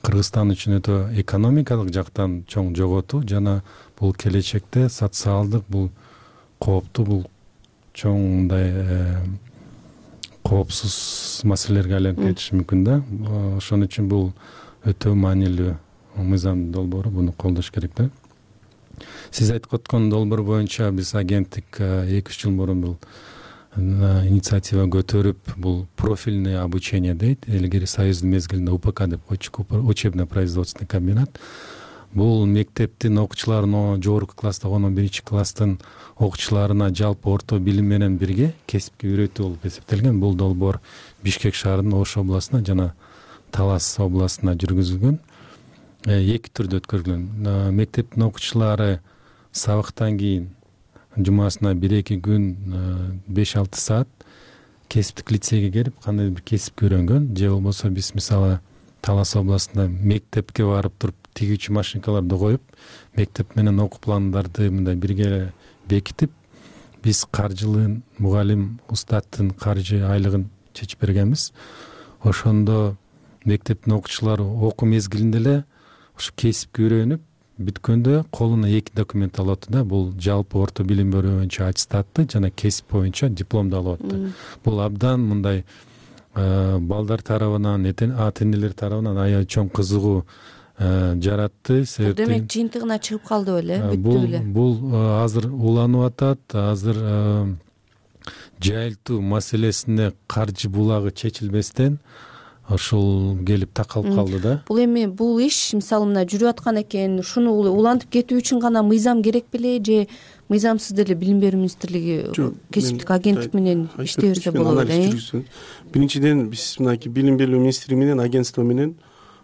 Кыргызстан үчүн өтө экономикалык жактан чоң жоготуу жана бул келечекте социалдык бул кооптуу, бул чоң мындай коопсуз маселелерге айланып кетиши мүмкүн да. Ошон үчүн бул өтө маанилүү мыйзам долбоору, буну колдош керек да. Сиз айтып өткөн долбоор боюнча биз агенттик эки үч жыл мурун бул инициатива көтөрүп, бул профильное обучение дейт. Илгери союздун мезгилинде У П К деп койчук, учебно-производственный комбинат. Бул мектептин окуучуларына, жогорку класста он биринчи класстын окуучуларына жалпы орто билим менен бирге кесипке үйрөтүү болуп эсептелген. Бул долбоор Бишкек шаарынын Ош областына жана Талас областына жүргүзүлгөн. Эки түрдө өткөрүлгөн. Мектептин окуучулары сабактан кийин жумасына бир эки күн беш алты саат кесиптик лицейге келип кандай бир кесипти үйрөнгөн. Же болбосо биз мисалы Талас областында мектепке барып туруп тигүүчү машинкаларды коюп, мектеп менен окуу пландарды мындай бирге бекитип, биз каржылын, мугалим, устаттын каржы айлыгын чечип бергенбиз. Ошондо мектептин окуучулары окуу мезгилинде эле ушу кесипке үйрөнүп, бүткөндө колуна эки документ алып атты да. Бул жалпы орто билим берүү боюнча аттестатты жана кесип боюнча дипломду алып атты. Бул абдан мындай балдар тарабынан, ата энелер тарабынан аябай чоң кызыгуу жаратты. Бул демек жыйынтыгына чыгып калды беле, бүттү беле. Бул азыр уланып атат, азыр жайылтуу маселесине каржы булагы чечилбестен ошол келип такалып калды да. Бул эми бул иш мисалы мына жүрүп аткан экен, ушуну улантып кетүү үчүн гана мыйзам керек беле же мыйзамсыз деле Билим берүү министрлиги кесиптик агенттик менен иштей берсе болот беле? Биринчиден биз мынакей Билим берүү министрлиги менен агентство менен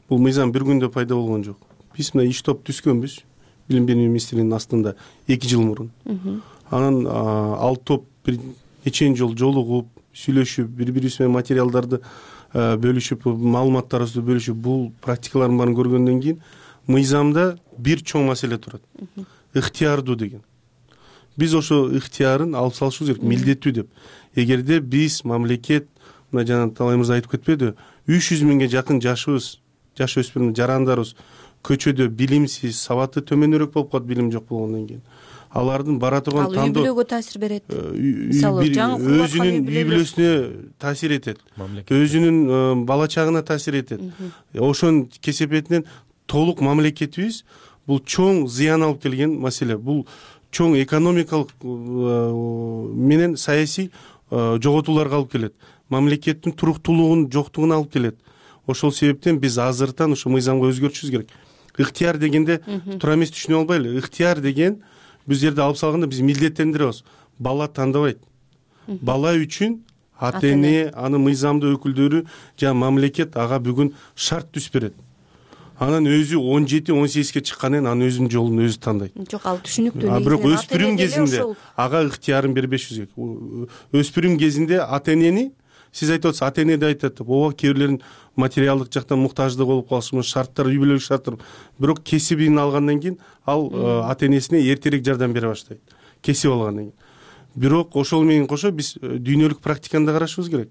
бул мыйзам бир күндө пайда болгон жок. Биз мына иш топ түзгөнбүз Билим берүү министрлигинин астында эки жыл мурун. Анан ал топ бир нече жол жолугуп, сүйлөшүп, бири-бирибиз менен материалдарды бөлүшүп, маалыматтарыбызды бөлүшүп, бул практикалардын баарын көргөндөн кийин мыйзамда бир чоң маселе турат. Ыктыярдуу деген. Биз ошо ыктыярын алып салышыбыз керек, милдеттүү деп. Эгерде биз мамлекет, мына жана Таалай мырза айтып кетпеди, үч жүз миңге жакын жашыбыз, жаш өспүрүм жарандарыбыз көчөдө билимсиз, сабаты төмөнүрөөк болуп калат, билим жок болгондон кийин. Алардын бара турган тандоо үй бүлөгө таасир берет. Мисалы жаңы өзүнүн үй бүлөсүнө таасир этет. Өзүнүн бала чагына таасир этет. Ошонун кесепетинен толук мамлекетибиз бул чоң зыян алып келген маселе. Бул чоң экономикалык менен саясий жоготууларга алып келет. Мамлекеттин туруктуулугунун жоктугуна алып келет. Ошол себептен биз азыртан ушу мыйзамга өзгөртүшүбүз керек. Ыктыяр дегенде туура эмес түшүнүп албайлы. Ыктыяр деген биз жерде алып салганда биз милдеттендиребиз. Бала тандабайт. Бала үчүн ата эне, анын мыйзамдуу өкүлдөрү жана мамлекет ага бүгүн шарт түзүп берет. анан өзү он жети он сегизге чыккандан кийин анын өзүнүн жолун өзү тандайт. Жок, ал түшүнүктүү. А бирок өспүрүм кезинде ага ыктыярын бербеш керек. Өспүрүм кезинде ата энени сиз айтып атасыз, ата эне да айтат, ооба кээ бирлерин материалдык жактан муктаждык болуп калышы, шарттар, үй бүлөлүк шарттар, бирок кесибин алгандан кийин ал ата энесине эртерээк жардам бере баштайт, кесип алгандан кийин. Бирок ошол менен кошо биз дүйнөлүк практиканы да карашыбыз керек.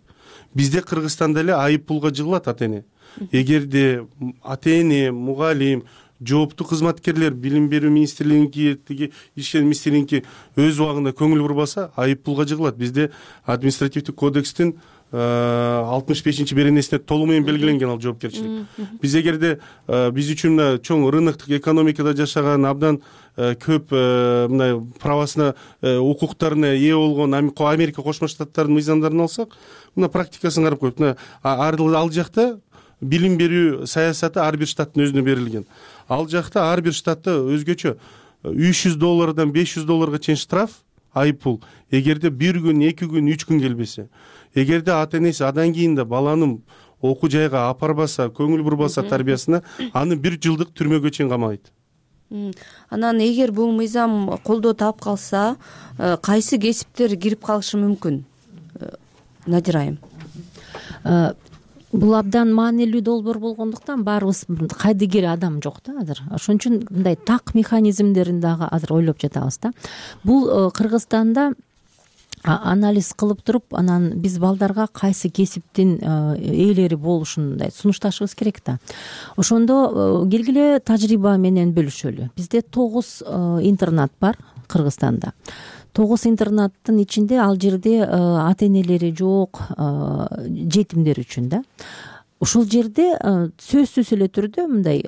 Бизде Кыргызстанда эле айып пулга жыгылат ата эне. Эгерде ата эне, мугалим, жооптуу кызматкерлер, билим берүү министрлигиники, тиги ишчи министрлигиники өз убагында көңүл бурбаса, айып пулга жыгылат. Бизде административдик кодекстин алтымыш бешинчи беренесине толук менен белгиленген ал жоопкерчилик. Биз эгерде биз үчүн мына чоң рыноктук экономикада жашаган, абдан көп мына правасына, укуктарына ээ болгон Америка Кошмо Штаттарынын мыйзамдарын алсак, мына практикасын карап коюп, мына ал жакта билим берүү саясаты ар бир штаттын өзүнө берилген. Ал жакта ар бир штатта өзгөчө үч жүз доллардан беш жүз долларга чейин штраф, айып пул. Эгерде бир күн, эки күн, үч күн келбесе, эгерде ата энеси адан кийин да баланын окуу жайга апарбаса, көңүл бурбаса тарбиясына, аны бир жылдык түрмөгө чейин камайт. Анан эгер бул мыйзам колдоо таап калса, кайсы кесиптер кирип калышы мүмкүн? Надир айым. Бул абдан маанилүү долбоор болгондуктан баарыбыз кайдыгер адам жок да азыр. Ошон үчүн мындай так механизмдерин дагы азыр ойлоп жатабыз да. Бул Кыргызстанда анализ кылып туруп, анан биз балдарга кайсы кесиптин ээлери болушун мындай сунушташыбыз керек да. Ошондо келгиле тажрыйба менен бөлүшөлү. Бизде тогуз интернат бар Кыргызстанда. Тогуз интернаттын ичинде ал жерде ата энелери жок жетимдер үчүн да. Ушул жерде сөзсүз эле түрдө мындай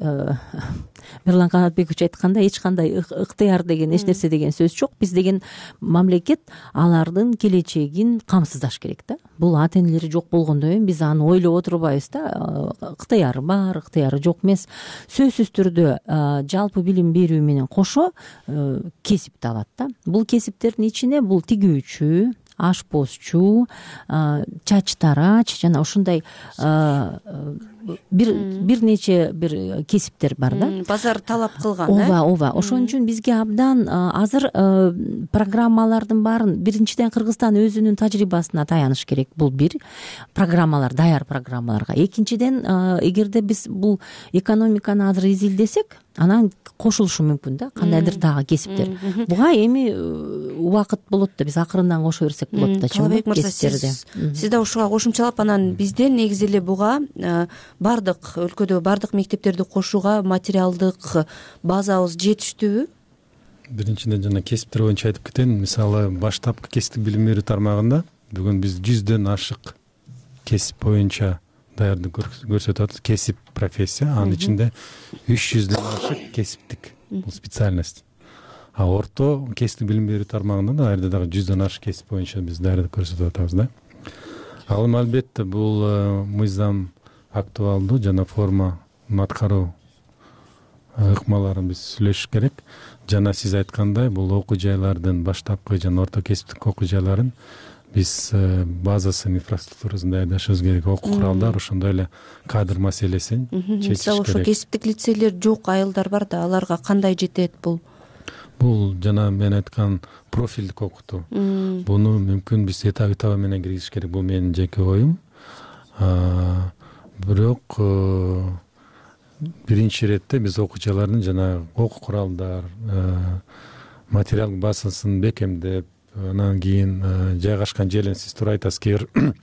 Мирлан Канатбекович айткандай эч кандай ыктыяр деген эч нерсе деген сөз жок. Биз деген мамлекет алардын келечегин камсыздаш керек да. Бул ата энелери жок болгондон кийин биз аны ойлоп отурбайбыз да. Ыктыяры бар, ыктыяры жок эмес. Сөзсүз түрдө жалпы билим берүү менен кошо кесипти алат да. Бул кесиптердин ичине бул тигүүчү, ашпозчу, чач тарач жана ушундай бир бир нече бир кесиптер бар да. Базар талап кылган. Ооба, ооба. Ошон үчүн бизге абдан азыр программалардын баарын биринчиден Кыргызстан өзүнүн тажрыйбасына таяныш керек. Бул бир программалар, даяр программаларга. Экинчиден, эгерде биз бул экономиканы азыр изилдесек, анан кошулушу мүмкүн да, кандайдыр дагы кесиптер. Буга эми убакыт болот да, биз акырындан кошо берсек болот да. Талабек мырза, сиз да ушуга кошумчалап, анан бизде негизи эле буга бардык өлкөдө бардык мектептерди кошууга материалдык базабыз жетиштүүбү? Биринчиден жана кесиптер боюнча айтып кетейин. Мисалы, баштапкы кесиптик билим берүү тармагында бүгүн биз жүздөн ашык кесип боюнча даярдык көрсөтүп атабыз. Кесип профессия, анын ичинде үч жүздөн ашык кесиптик бул специальность. А орто кесиптик билим берүү тармагында да ар дагы жүздөн ашык кесип боюнча биз даярдык көрсөтүп атабыз да. Ал эми албетте бул мыйзам актуалдуу жана форма аткаруу ыкмаларын биз сүйлөшүш керек. Жана сиз айткандай, бул окуу жайлардын баштапкы жана орто кесиптик окуу жайларын биз базасын, инфраструктурасын даярдашыбыз керек. Окуу куралдар, ошондой эле кадр маселесин чечиш керек. Мисалы, ошо кесиптик лицейлер жок айылдар бар да, аларга кандай жетет бул? Бул жана мен айткан профилдик окутуу. Буну мүмкүн биз этап этабы менен киргизиш керек. Бул менин жеке оюм. Бирок биринчи иретте биз окуучулардын жана окуу куралдар, материалдык базасын бекемдеп, анан кийин жайгашкан жерин сиз туура айтасыз, кээ бир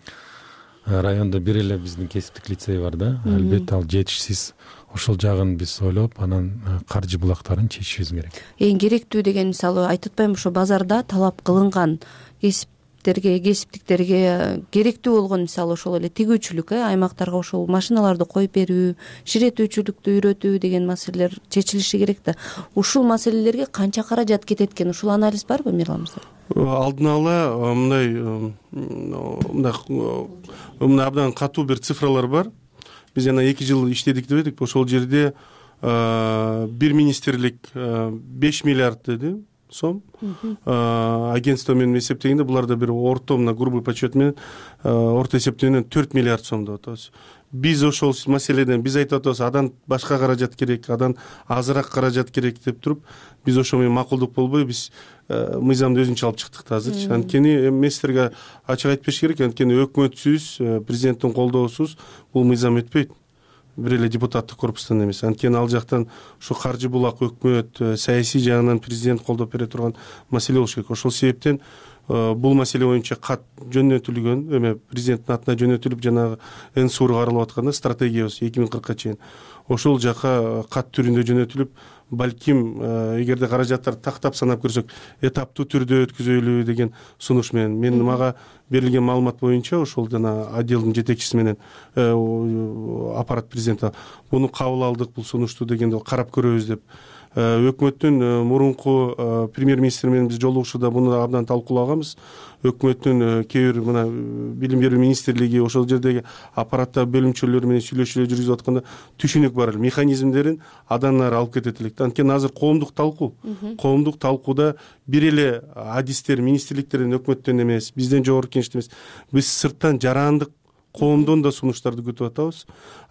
райондо бир эле биздин кесиптик лицей бар да. Албетте ал жетишсиз. Ошол жагын биз ойлоп, анан каржы булактарын чечишибиз керек. Эң керектүү деген, мисалы, айтып атпаймынбы, ошо базарда талап кылынган кесиптерге, кесиптиктерге керектүү болгон, мисалы, ошол эле тигүүчүлүк, аймактарга ошол машиналарды коюп берүү, ширетүүчүлүктү үйрөтүү деген маселелер чечилиши керек да. Ушул маселелерге канча каражат кетет экен? Ушул анализ барбы, Мирлан мырза? Алдын ала мындай мындай мындай абдан катуу бир цифралар бар. Биз жана эки жыл иштедик деп эдик. Ошол жерде бир министрлик беш миллиард деди сом. Агентство менен эсептегенде буларда бир орто мына грубый подсчет менен орто эсептөө менен төрт миллиард сом деп атабыз. биз ошол маселеден биз айтып атабыз, адан башка каражат керек, адан азыраак каражат керек деп туруп, биз ошо менен макулдук болбой биз мыйзамды өзүнчө алып чыктык да азырчы. Анткени мен силерге ачык айтып бериш керек, анткени өкмөтсүз, президенттин колдоосуз бул мыйзам өтпөйт. Бир эле депутаттык корпустан эмес. Анткени ал жактан ушу каржы булак өкмөт, саясий жагынан президент колдоп бере турган маселе болуш керек. Ошол себептен бул маселе боюнча кат жөнөтүлгөн, эме президенттин атына жөнөтүлүп, жанагы эн сур каралып атканда стратегиябыз эки миң кыркка чейин ошол жака кат түрүндө жөнөтүлүп, балким эгерде каражаттарды тактап санап көрсөк, этаптуу түрдө өткүзөлү деген сунуш менен. Мен мага берилген маалымат боюнча ошол жана отделдин жетекчиси менен аппарат президенти муну кабыл алдык, бул сунушту дегенде карап көрөбүз деп. Өкмөттүн мурунку премьер-министри менен биз жолугушууда муну абдан талкуулаганбыз. Өкмөттүн кээ бир мына билим берүү министрлиги ошол жердеги аппараттагы бөлүмчөлөр менен сүйлөшүүлөр жүргүзүп атканда түшүнүк бар эле, механизмдерин адан ары алып кетет элек. Анткени азыр коомдук талкуу, коомдук талкууда бир эле адистер, министрликтерден, өкмөттөн эмес, бизден жогорку кеңештен эмес, биз сырттан жарандык коомдон да сунуштарды күтүп атабыз.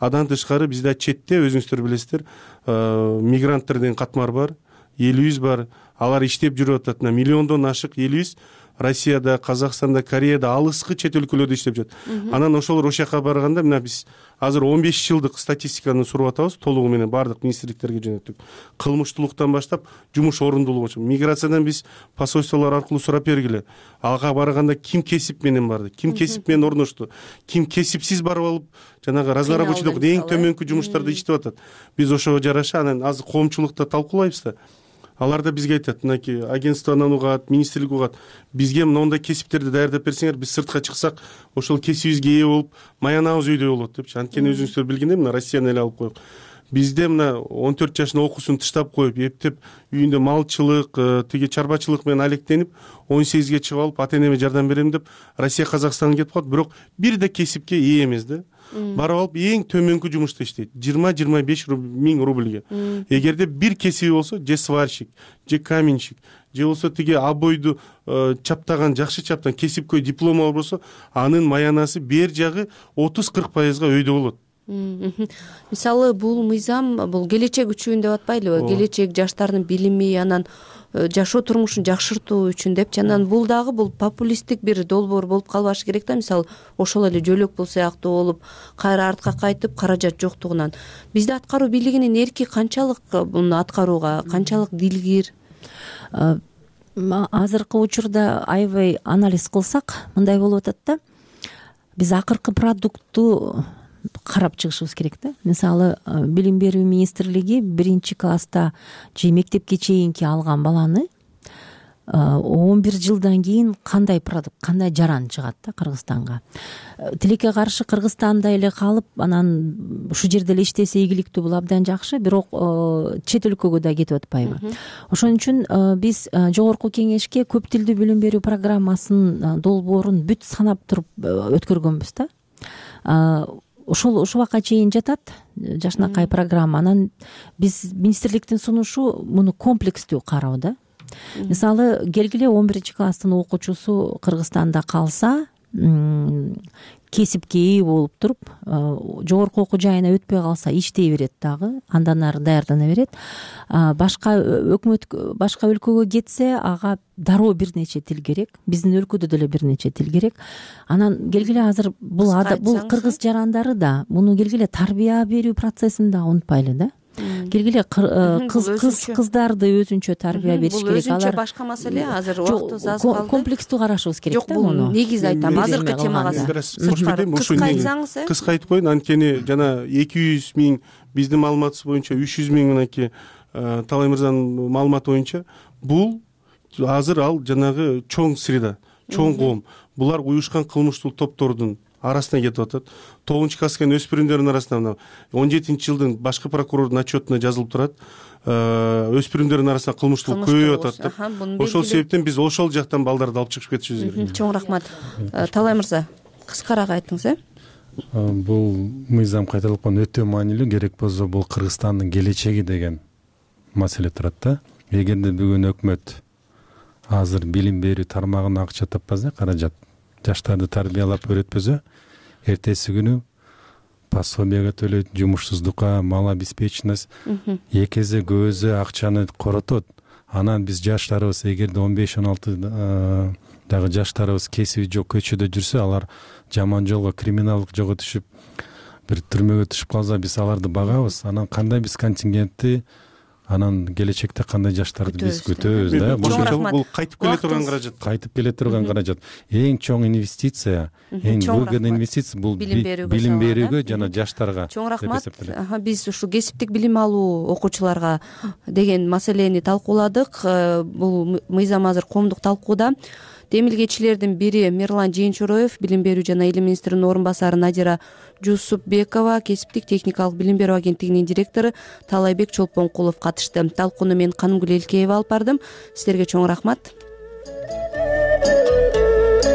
Адан тышкары бизде четте өзүңүздөр билесиздер, мигранттар деген катмар бар, элибиз бар. Алар иштеп жүрүп атат. Миллиондон ашык элибиз Россияда, Казакстанда, Кореяда, алыскы чет өлкөлөрдө иштеп жүрөт. Анан ошолор ошол жака барганда мына биз азыр он беш жылдык статистиканы суруп атабыз, толугу менен бардык министрликтерге жөнөттүк. Кылмыштуулуктан баштап жумуш орундуулугу. Миграциядан биз посольстволор аркылуу сурап бергиле. Ага барганда ким кесип менен барды, ким кесип менен орношту, ким кесипсиз барып алып, жанагы разноробочийдик эң төмөнкү жумуштарды иштеп атат. Биз ошого жараша анан азыр коомчулукта талкуулайбыз да. Алар да бизге айтат, мынакей агентствонан угат, министрлик угат, бизге мондай кесиптерди даярдап берсеңер, биз сыртка чыксак, ошол кесибибизге ээ болуп, маянабыз үйдө болот депчи. Анткени өзүңүздөр билгендей, мына Россияны эле алып коелук. Бизде мына он төрт жашында окуусун тыштап коюп, эптеп үйүндө малчылык, тиги чарбачылык менен алектенип, он сегизге чыгып алып, ата-энеме жардам берем деп Россия, Казакстанга кетип калат, бирок бир да кесипке ээ эмес да. Барып алып эң төмөнкү жумушта иштейт, жыйырма жыйырма беш миң рубльге. Эгерде бир кесиби болсо, же сварщик, же каменщик, же болсо тиги обойду чаптаган, жакшы чаптан кесипкөй диплому болсо, анын маянасы бер жагы отуз кырк пайызга өйдө болот. Мисалы бул мыйзам бул келечек үчүн деп атпайлыбы? Келечек жаштардын билими, анан жашоо турмушун жакшыртуу үчүн депчи. Анан бул дагы бул популисттик бир долбоор болуп калбашы керек да. Мисалы ошол эле жөлөк бул сыяктуу болуп, кайра артка кайтып, каражат жоктугунан. Бизде аткаруу бийлигинин эрки канчалык муну аткарууга, канчалык дилгир? Азыркы учурда аябай анализ кылсак, мындай болуп атат да. Биз акыркы продуктту карап чыгышыбыз керек да. Мисалы, билим берүү министрлиги биринчи класста же мектепке чейинки алган баланы он бир жылдан кийин кандай продукт, кандай жаран чыгат да Кыргызстанга. Тилекке каршы Кыргызстанда эле калып, анан ушул жерде эле иштесе ийгиликтүү, бул абдан жакшы, бирок чет өлкөгө да кетип атпайбы? Ошон үчүн биз жогорку кеңешке көп тилдүү билим берүү программасынын долбоорун бүт санап туруп өткөргөнбүз да. Ошол ушубакка чейин жатат жашынакай программа. Анан биз министрликтин сунушу муну комплекстүү кароо да. Мисалы, келгиле он биринчи класстын окуучусу Кыргызстанда калса, кесипке ээ болуп туруп, жогорку окуу жайына өтпөй калса, иштей берет дагы, андан ары даярдана берет. Башка өкмөт, башка өлкөгө кетсе, ага дароо бир нече тил керек. Биздин өлкөдө деле бир нече тил керек. Анан келгиле азыр бул бул кыргыз жарандары да муну келгиле тарбия берүү процессин да унутпайлы да. Келгиле кыз кыз кыздарды өзүнчө тарбия бериш керек. Бул өзүнчө башка маселе, азыр убактыбыз аз калды. Комплекстүү карашыбыз керек да муну. Жок, бул негиз айтам, азыркы темага. Кыска айтсаңыз, э? Кыска айтып коеюн, анткени жана эки жүз миң, биздин маалыматыбыз боюнча үч жүз миң, мынакей Талай мырзанын маалыматы боюнча, бул азыр ал жанагы чоң среда, чоң коом. Булар уюшкан кылмыштуу топтордун арасына кетип атат. тогузунчу класска кирген өспүрүмдөрдүн арасында он жетинчи жылдын башкы прокурордун отчетуна жазылып турат. Өспүрүмдөрдүн арасында кылмыштуулук көбөйүп атат. Ошол себептен биз ошол жактан балдарды алып чыгып кетишибиз керек. Чоң рахмат. Талай мырза, кыскараак айтыңыз, э? Бул мыйзам кайталап койгон өтө маанилүү, керек болсо бул Кыргызстандын келечеги деген маселе турат да. Эгерде бүгүн өкмөт азыр билим берүү тармагына акча таппаса, каражат, жаштарды тарбиялап өйрөтпөсө, эртеси күнү пособияга төлөйт, жумушсуздукка, малообеспеченность эки эсе көп эсе акчаны коротот. Анан биз жаштарыбыз эгерде он беш он алты дагы жаштарыбыз кесиби жок көчөдө жүрсө, алар жаман жолго, криминалдык жолго түшүп бир түрмөгө түшүп калса, биз аларды багабыз. Анан кандай биз контингентти, анан келечекте кандай жаштарды биз күтөбүз да. Бул кайтып келе турган каражат. Кайтып келе турган каражат. Эң чоң инвестиция, эң выгодный инвестиция бул билим берүүгө жана жаштарга. Чоң рахмат. Биз ушу кесиптик билим алуу окуучуларга деген маселени талкууладык. Бул мыйзам азыр коомдук талкууда. Демилгечилердин бири Мирлан Жээнчороев, билим берүү жана илим министринин орун басары Надира Жусупбекова, кесиптик техникалык билим берүү агенттигинин директору Талайбек Чолпонкулов катышты. Талкууну мен Канымгүл Элкеева алып бардым. Сиздерге чоң рахмат.